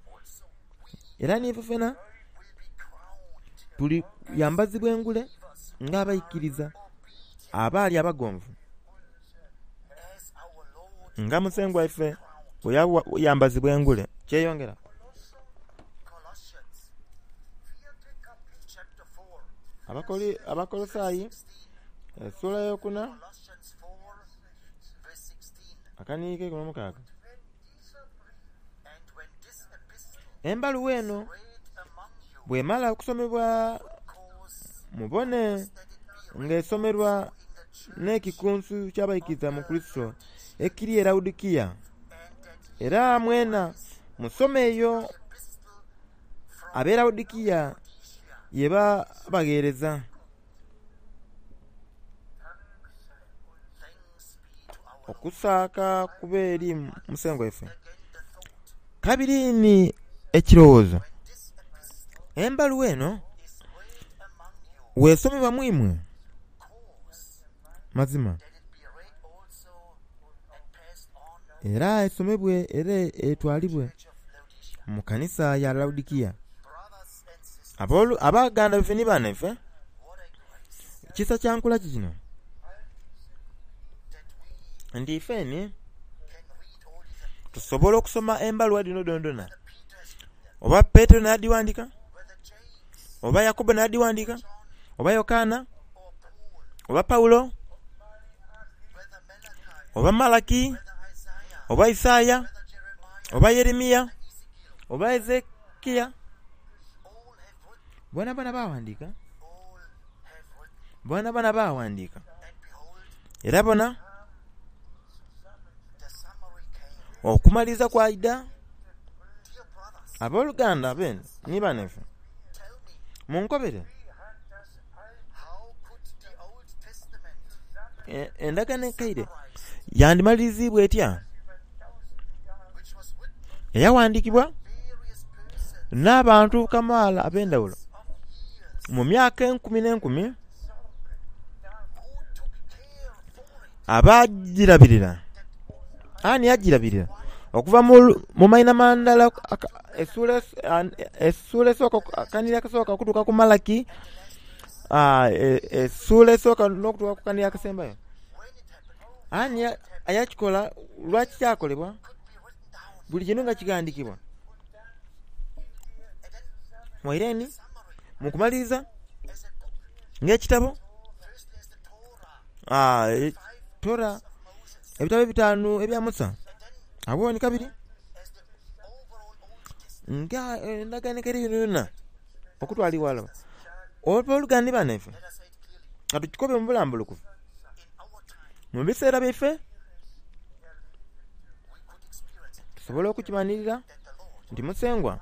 Era n'ife fena tuli yambazibwa engule nga abaikiriza abaali abagonvu nga Musengwa waife bwe yambazibwa engule. Kyeyongera. Abakolosaayi esula ey'okuna akaniike eikumi n'omukaaga. Embaluwa eno bwemala okusomebwa mubone nga esomerwa N'ekikunsu ky'abaikiriza mu Kurisito ekiri e Lawodikiya. Era mwena musome eyo ab'e Lawodikiya yebabagheereza. Okusaaka kube eri Musengwa waife. Kabiri ni ekirowoozo, embaluwa eno bw'esomebwa mu imwe, mazima era esomebwe era etwalibwe mu kanisa ya Lawodikiya. Abaganda baife ni banaife, kisa kya nkula ki kino? Nti ifeni tusobola okusoma embaluwa dhino dhonadoona. Oba Petero n'adhighandika, oba Yakobo n'adhighandika, oba Yokaana, oba Paulo, oba Malaki, oba Isaaya, oba Yeremiya, oba Ezekiya, boonaboona baaghandika, boonaboona baaghandika. Era bona, okumaliriza kwaidha. Aboluganda bene ni banaife, munkobere, endagaano enkaire yandimaliriziibwa etya? Eyaghandikibwa n'abantu kamaala ab'endhaghulo mu myaka enkumi n'enkumi abagirabirira. Ani agirabirira? Okuva mu maina mandala essuula esooka akanhiriri akasooka okutuuka ku Malaki essuula esooka n'okutuuka ku kanhiriri akasembayo. Ani ayakikola? Lwaki kyakolebwa? Buli kintu nga kighandikibwa. Waire ni mu kumaliriza ng'ekitabo Tora, ebitabo ebitaanu ebya Musa, agho ni kabiri nga endagaano enkaire yonayona okutwala ighala. Aboluganda ni banaife, ka tukikobe mu bulambulukufu, mu biseera byaife tusobola okukimanhirira nti Musengwa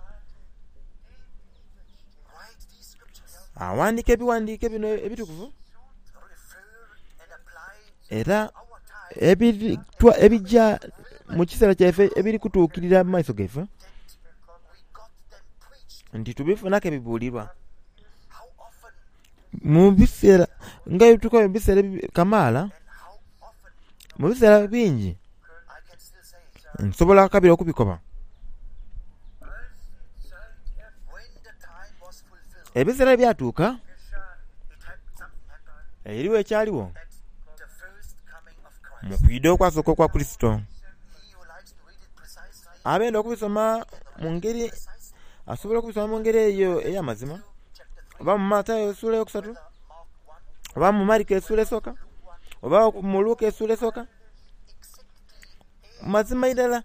aghandika ebighandike bino ebitukuvu era ebigya mu kiseera kyaife ebiri kutuukirira mu maiso gaife nti tubifunaku ebibulirwa. Mu biseera nga bwetukoba mu biseera kamaala, mu biseera bingi nsobola kabiri okubikoba. Ebiseera bwe byatuuka, eriwo ekyaligho mu kwidha okwasooka okwa Kurisito. Abenda okubisoma mu ngeri, asobola okubisoma mu ngeri eyo ey'amazima, oba mu Matayo essuula eyokusatu, oba mu Mariko essuula esooka, oba mu Luka essuula esooka. Mazima irala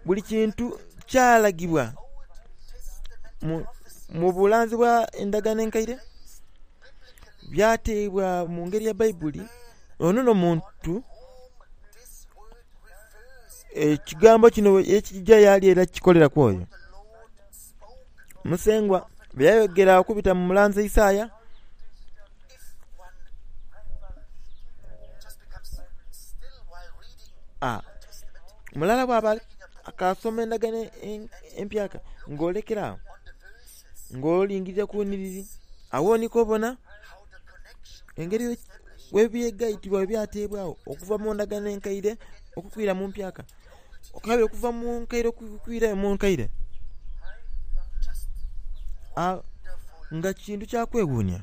buli kintu kyalagibwa mu bulanzi bwa endagaano enkaire, byateebwa mu ngeri ya Baibuli. Ono n'omuntu ekigambo kino ekija y'ali era kikolera ku oyo. Musengwa bye yayogera okubita mu mulanzi Isaaya, mulala bw'aba akaasoma endagaano empyaka ng'olekera agho ng'olingirira ku nhiriri, agho ni kw'obona engeri bwebyegaitibwa bwebyateebwagho okuva mu ndagaano enkaire okukwira mu mpyaka, kabiri okuva mu nkaire okukwirayo mu nkaire. Nga kintu kya kwewuunia.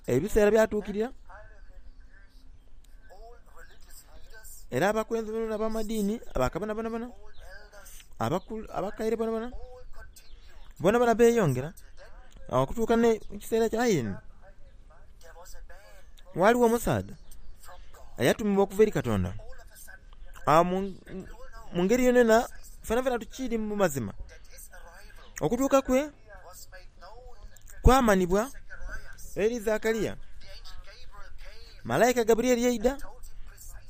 Ebiseera byatuukirira era abakulembe bonabona ab'amadiini, bakabona bonabona, abakaire bonabona, bonabona beeyongera okutuuka mu kiseera kya aye ghaligho omusaadha eyatumibwa okuva eri Katonda. Mu ngeri yonayona fenafena tukiri mu mazima. Okutuuka kwe kwamanhibwa eri Zakaria. Malayika Gabrieli yaida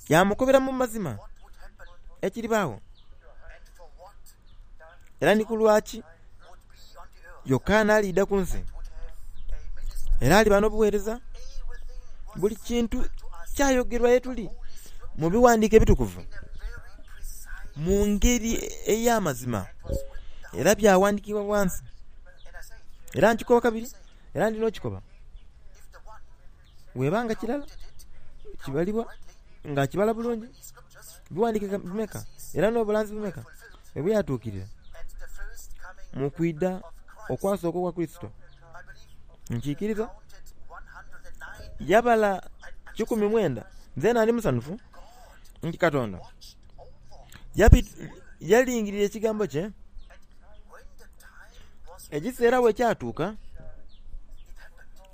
yamukobera mu mazima ekiribaawo era ni ku lwaki Yokaana aliida ku nsi era aliba n'obuweereza. Buli kintu kyayogerwa ye tuli mu biwandiiko ebitukuvu mu ngeri ey'amazima era byawandiikibwa wansi. Era nkikoba kabiri era ndina okikoba webanga kirala kibalibwa nga kibala bulungi biwandiike bimeka era n'obulanzi bumeka ebyatuukirira mu kwida okwasooka okwa Kristo. Nkiikiriza yabala kikumi mwenda nze nandi musanufu nti Katonda yalingirira ekigambo kye. Ekiseera bwe kyatuuka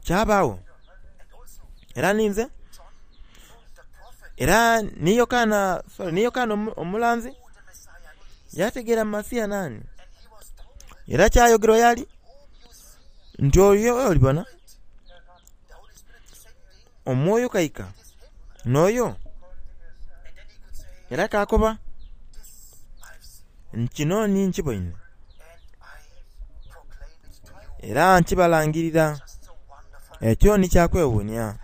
kyabaawo era ninze era ni Yokaana sorry ni Yokaana omulanzi yategeera Masiya nani era kyayogerwa yali nti oyo olibona omwoyo kaika n'oyo era kakoba nkino ni nkiboine era nkibalangirira. Ekyo ni kyakwewuunia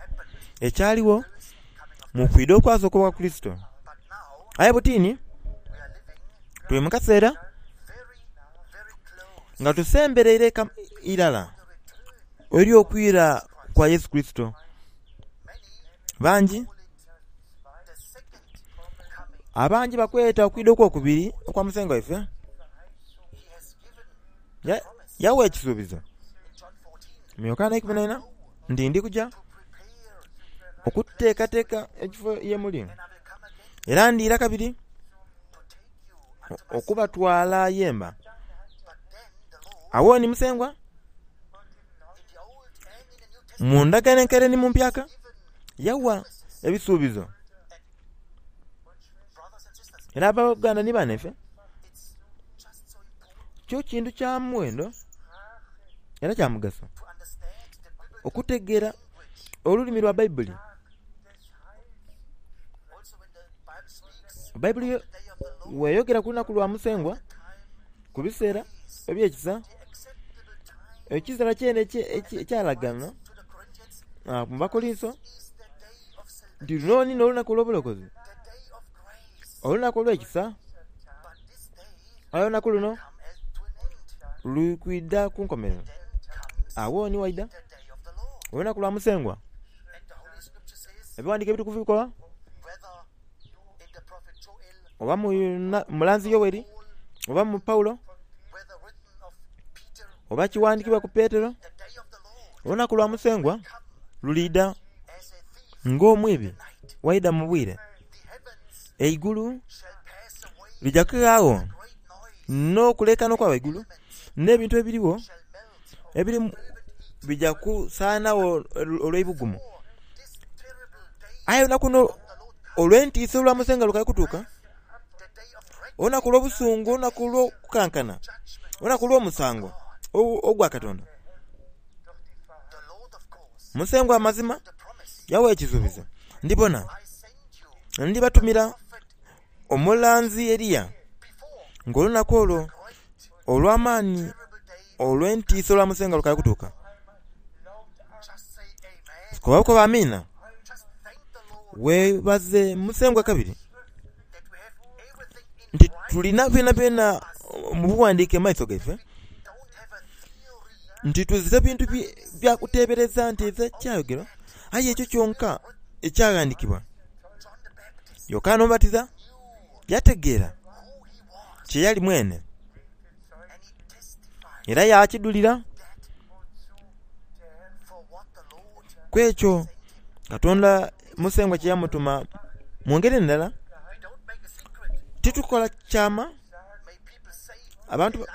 ekyaliwo mu kwida okwasooka okwa Kristo. Aye butini tuli mu kaseera nga tusembereire irala eri okwira kwa Yesu Kristo. Bangi abangi bakweta okwida okwokubiri okwa Musengwa waife. Yawa ekisuubizo mu Yokaana ikumi na ina nti ndi kuja okuteekateeka ekifo ye muli era ndiira kabiri okubatwala yemba. Awo ni Musengwa mu ndagaano enkaire ni mu mpyaka yawa ebisuubizo era abooluganda ni banaife kyo kintu kya muwendo era kya mugaso okutegeera olulimi lwa Baibuli. Baibuli weyogera ku lunaku lwa Musengwa ku biseera eby'ekisa ekiseera kyene ekyalaganwa mu Bakolinso nti luno ni n'olunaku olw'obulokozi, olunaku olw'ekisa. Aye olunaku luno luli kwida ku nkomerero. Awo ni waida olunaku lwa Musengwa. Ebiwandiiko ebitukuvu bikoba oba mu mulanzi Yoweri oba mu Paulo oba kiwandikibwa ku Petero, olunaku lwa Musengwa luliida ng'omwibi waida mu bwire. Eigulu lija kughagho n'okulekana okwa ghaigulu n'ebintu ebiriwo ebiri bija kusaanagho olw'eibugumu. Aye olunaku luno olw'entiisa olwa Musengwa lukali kutuuka, olunaku olw'obusungu, olunaku olw'okukankana, olunaku olw'omusango ogwa Katonda. Musengwa amazima yawa ekisuubizo, ndibona ndibatumira omulanzi Eriya ng'olunaku olwo olw'amaani olw'entiisa olwa Musengwa lukali kutuuka. Koba bukoba amiina. Weebaze Musengwa kabiri nti tulina byonabyona mu buwandiike mu maiso gaife nti tuzira bintu bya kuteebereza nti eza kyayogerwa aye ekyo kyonka ekyaghandikibwa. Yokaana Omubatiza yategeera kye yali mwene era yakidhulira ku ekyo Katonda Musengwa kye yamutuma. Mu ngeri endala titukola kyama abantu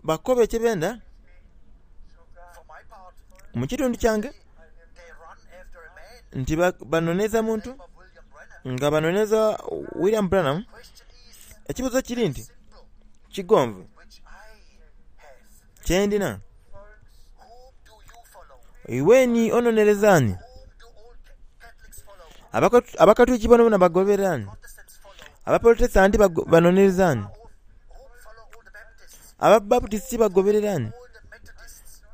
bakobe kye benda. Mu kitundu kyange nti banoneza muntu nga banoneza William Branham. Ekibuuzo kiri nti kigonvu kyendina iwe ni ononereza ani? Abakatuliki bonabona bagoberera ani? Abaprotestanti banonereza ani? Ababaputisiti bagoberera ani?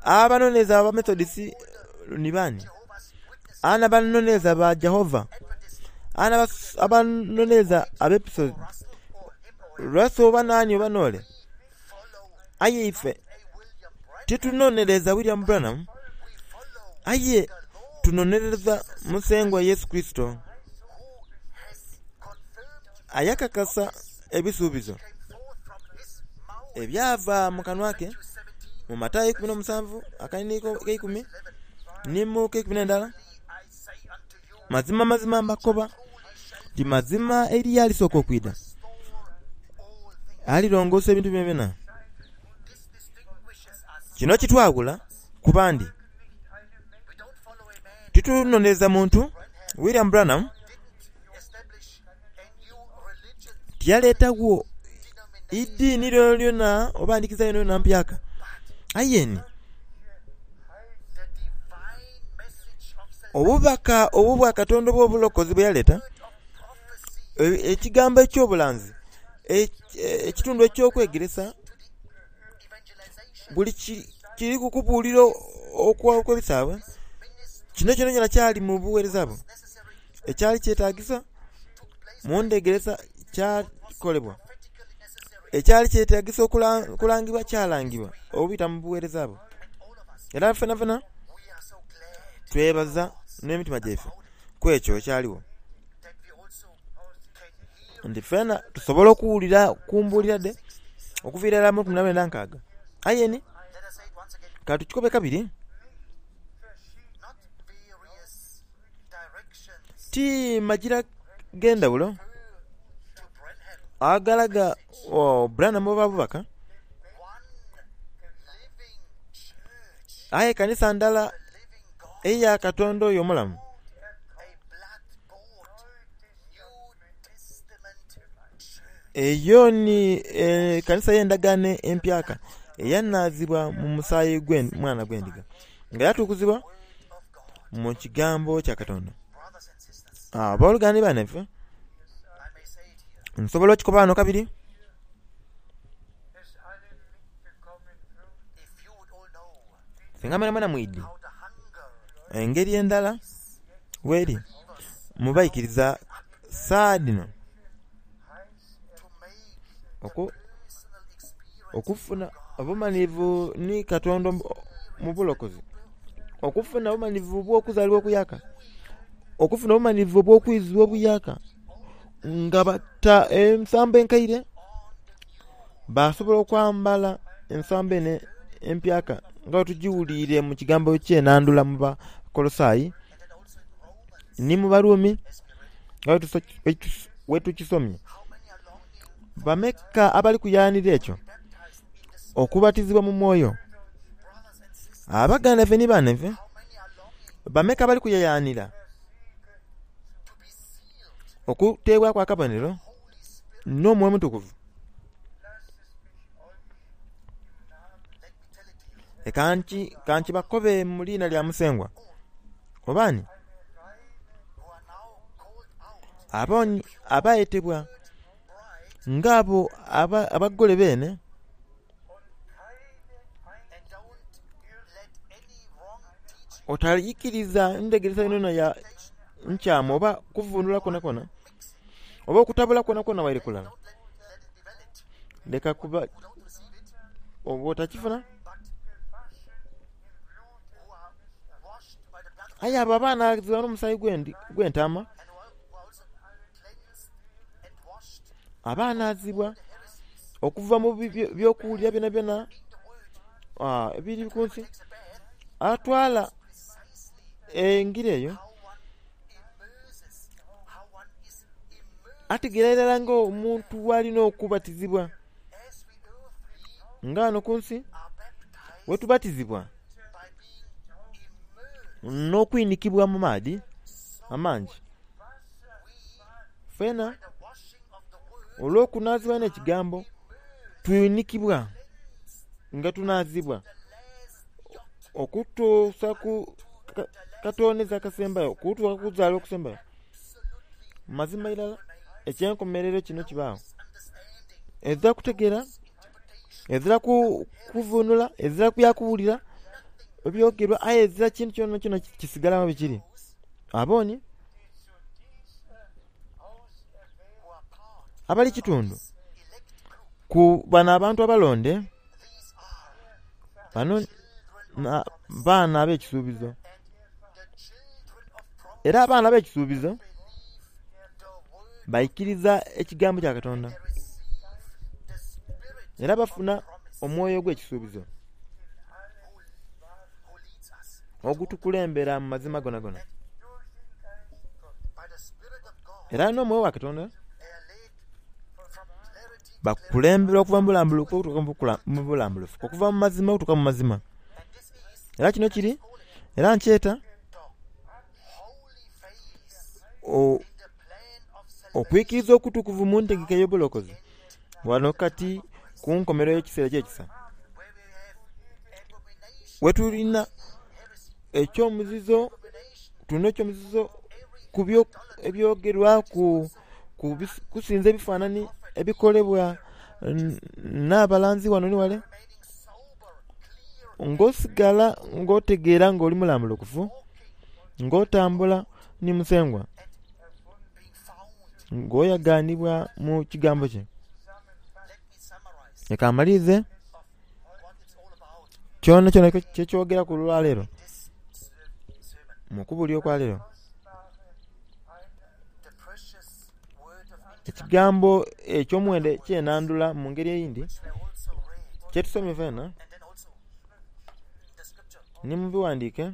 Abanonereza Abamethodisi ni bani? Ani abanonereza ba Jehova? Ani abanonereza Abepiso? Russell oba nani oba nole? Aye ife titunonereza William Branham, aye tunonereza Musengwa Yesu Kurisito ayakakasa ebisuubizo ebyava mu kanwa ke mu Matayo ikumi n'omusanvu akaini keikumi ni mu keikumi n'endala. Mazima mazima mbakoba nti mazima Eriya alisooka okwidha, alirongoosa ebintu byonabyona. Kino kitwawula ku bandi. Titunonereza muntu. William Branham tiyaleetagho idini lyonalyona oba ndhikiriza yonayona mpyaka, aye ni obubaka obw'obwakatonda obw'obulokozi bwe yaleeta, ekigambo eky'obulanzi, ekitundu eky'okwegeresa, buli kiri kukubuulira okw'ebisaabwe, kino kyonakyona kyali mu buweereza bwe. Ekyali kyetagisa mu ndhegeresa kyakolebwa, ekyali kyetagisa okulangibwa kyalangibwa obubita mu buweereza bwe. Era fenafena twebaza n'emitima gyaife ku ekyo ekyaligho, nti fena tusobola okuwulira ku mbuulira dhe okuviira irala mu lukumi na lwenda nkaaga. Aye ni katukikobe kabiri, ti magira g'endhawulo agalaga Branham oba bubaka, aye kanisa ndala eya Katonda oyo omulamu eyo ni ekanisa ey'endagaano empyaka eyanaazibwa mu musaayi gw'omwana gw'endiga nga yatukuzibwa mu kigambo kya Katonda. Aboluganda ni banaife, nsobola okikoba ghano kabiri, singa mwenamwena mwidhi engeri endala bweri mubaikiriza saha dhino okufuna obumanhirivu ni Katonda mu bulokozi, okufuna obumanhirivu obw'okuzaalibwa okuyaka, okufuna obumanhirivu obw'okwizibwa obuyaka, nga bata ensambo enkaire basobola okwambala ensambo eno empyaka nga bwetugiwuliire mu kigambo ky'enandula mu Bakolosaayi ni mu Barumi nga bwetukisomye. Bameka abali kuyanira ekyo okubatizibwa mu mwoyo? Abaganda baife ni banaife, bameka abali kuyayanira okuteebwaku akabonero n'Omwoyo Omutukuvu? Leka nkibakobe mu liina lya Musengwa. Oba ni abayetebwa ng'abo abagole beene, otaikiriza ndhegeresa yonayona ya nkyamu oba kuvundula kwonakwona oba okutabula kwonakwona waire kulala. Leka kuba oba otakifuna. Aye abo abanaazibwa n'omusaayi gw'entaama, abanaazibwa okuva mu by'okuwulira byonabyona ebiri ku nsi, atwala engira eyo ategeera irala ng'omuntu bw'alina okubatizibwa. Nga ghano ku nsi bwetubatizibwa n'okwinikibwa mu maadhi amangi, fena olw'okunaazibwa n'ekigambo twinikibwa nga tunaazibwa okutuusa ku katoneza akasembayo, okutuuka ku kuzaalibwa okusembayo. Mazima irala ekyenkomerero kino kibaawo. Ezira kutegeera, ezira kuvunula, ezira byakuwulira ebyogerwa aye ezira kintu kyonakyona kisigala nga bwekiri. Aboni abali kitundu ku bano abantu abalonde, bano baana ab'ekisuubizo. Era abaana ab'ekisuubizo baikiriza ekigambo kya Katonda era bafuna omwoyo ogw'ekisuubizo ogutukulembera mu mazima gonagona. Era n'omwoyo wa Katonda bakukulembera okuva mu bulambulukufu okutuuka mu bulambulukufu, okuva mu mazima okutuuka mu mazima. Era kino kiri, era nkyeta okwikiriza okutukuvu mu ntegeka ey'obulokozi wano kati ku nkomerero y'ekiseera eky'ekisa wetulina ekyomuzizo, tulina ekyomuzizo ku ebyogerwa ku kusinza ebifanhanhi ebikolebwa n'abalanzi wano ni wale, ng'osigala ng'otegeera nga oli mulambulukufu, ng'otambula ni Musengwa, ng'oyaganibwa mu kigambo kye. Leka mmalirize kyonakyona kyekyogeraku olwaleero mu kubulira okwaleero. Ekigambo eky'omuwendo ekyenhandhula mu ngeri eyindhi kyetusomye fena ni mu bighandike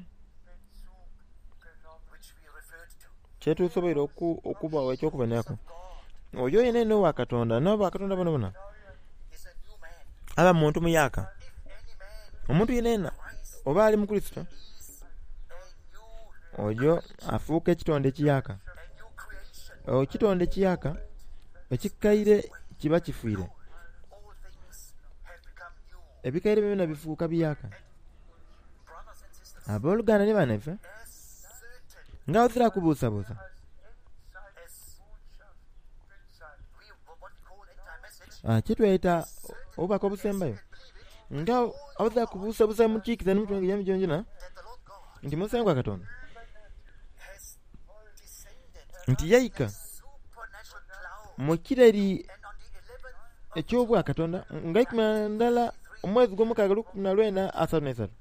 kyetusoboire okubagho eky'okuboneraku. Oyo yenayena owa Katonda n'aba Katonda bonabona aba muntu muyaaka. Omuntu yenayena oba ali mu Kurisito oyo afuuka ekitonde ekiyaaka. Ekitonde ekiyaaka ekikaire kiba kifiire. Ebikaire byona bifuuka biyaaka. Aboluganda ni banaife nga ozira kubuusabuusa kyetweta obubaka obusembayo nga ozira kubuusabuusa mukiikiriza n'emitima gyaimwe gyonagyona nti Musengwa Katonda nti yaika mu kireri eky'obwakatonda nga ikumi na ndala omwezi ogw'omukaaga lukumi na lwenda asatu n'eisatu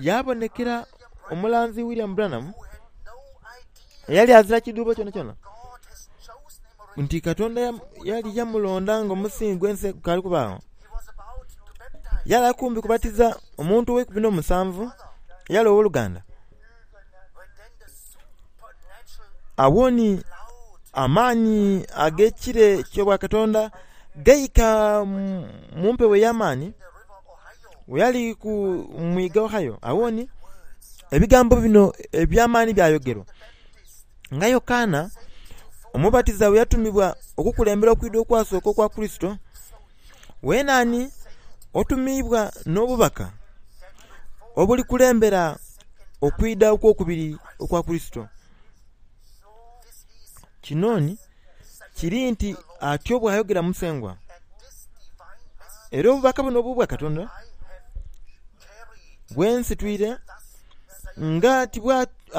yabonekera omulanzi William Branham eyali azira kidhuubo kyonakyona nti Katonda yali yamulonda nga omusingi gw'ensi gukaali kubaagho. Yali ali kumpi kubatiza omuntu ow'eikumi n'omusanvu eyali ow'oluganda. Agho ni amaani ag'ekire eky'obwakatonda gaika mu mpewo ey'amaani bwe yali ku mwiga Ohio. Agho ni ebigambo bino eby'amaani byayogerwa nga Yokaana Omubatiza bwe yatumibwa okukulembera okwidha okwasooka okwa Kurisito, weena ni otumiibwa n'obubaka obulikulembera okwidha okw'okubiri okwa Kurisito. Kino ni kiri nti atyo bw'ayogera Musengwa. Era obubaka buno obw'obwakatonda bwensitwire nga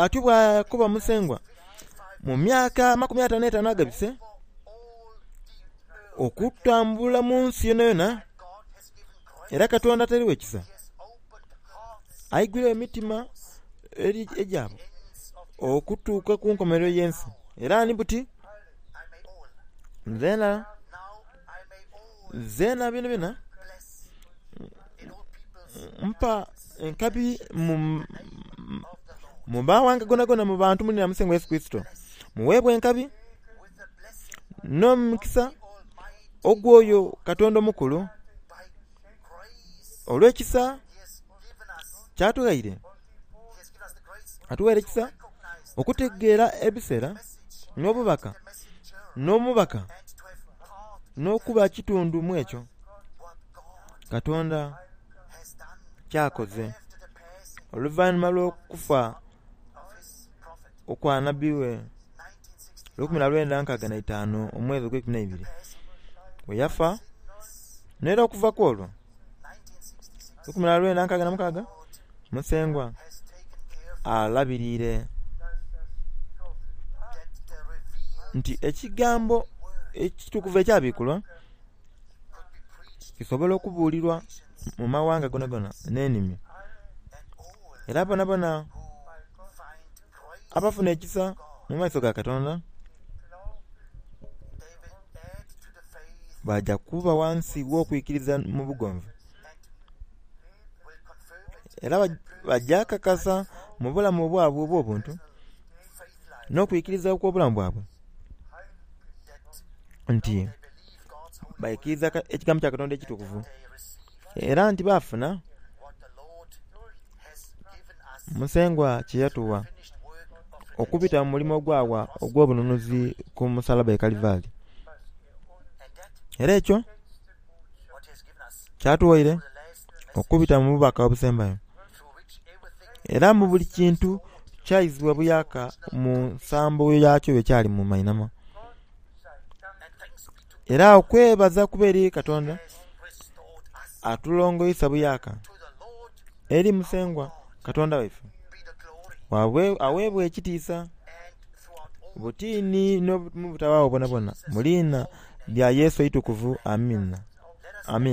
atyo bw'akoba Musengwa mu myaka amakumi ataanu n'etaanu agabise okutambula mu nsi yonayona. Era Katonda atairegho ekisa aigwiregho emitima egyabo okutuuka ku nkomerero y'ensi. Era ni buti nzena nzena byonabyona mpa enkabi mu mawanga gonagona mu bantu mu liina lya Musengwa Yesu Kurisito. Muweebwe enkabi n'omukisa ogw'oyo Katonda omukulu olw'ekisa ky'atughaire. Atughaire ekisa okutegeera ebiseera n'obubaka n'omubaka n'okuba kitundu mu ekyo Katonda ky'akoze oluvainhuma lw'okufa okwa nabbi we lukumi na lwenda nkaaga na itaanu omwezi ogweikumi n'eibiri bwe yafa. N'era okuva ku olwo lukumi na lwenda nkaaga na mukaaga Musengwa alabiriire nti ekigambo ekitukuvu ekyabikulwa kisobola okubuulirwa mu mawanga gonagona n'enimi, era bonabona abafuna ekisa mu maiso ga Katonda baja kuba ghansi gh'okwikiriza mu bugonvu, era baja kakasa mu bulamu bwabwe obw'obuntu n'okwikiriza okw'obulamu bwabwe nti baikiriza ekigambo kya Katonda ekitukuvu, era nti baafuna Musengwa kye yatuwa okubita mu mulimo ogwawa ogw'obununuzi ku musalaba e Kalivari. Era ekyo kyatuwaire okubita mu bubaka obusembayo, era mu buli kintu kyaizibwa buyaka mu nsambo yakyo bwekyali mu mainhama. Era okwebaza kuba eri Katonda atulongoisa buyaka eri Musengwa Katonda waife aweebwa ekitiisa butini n'obutawaawo bwonabwona mu liina lya Yesu eitukuvu. Amiina. Amiina.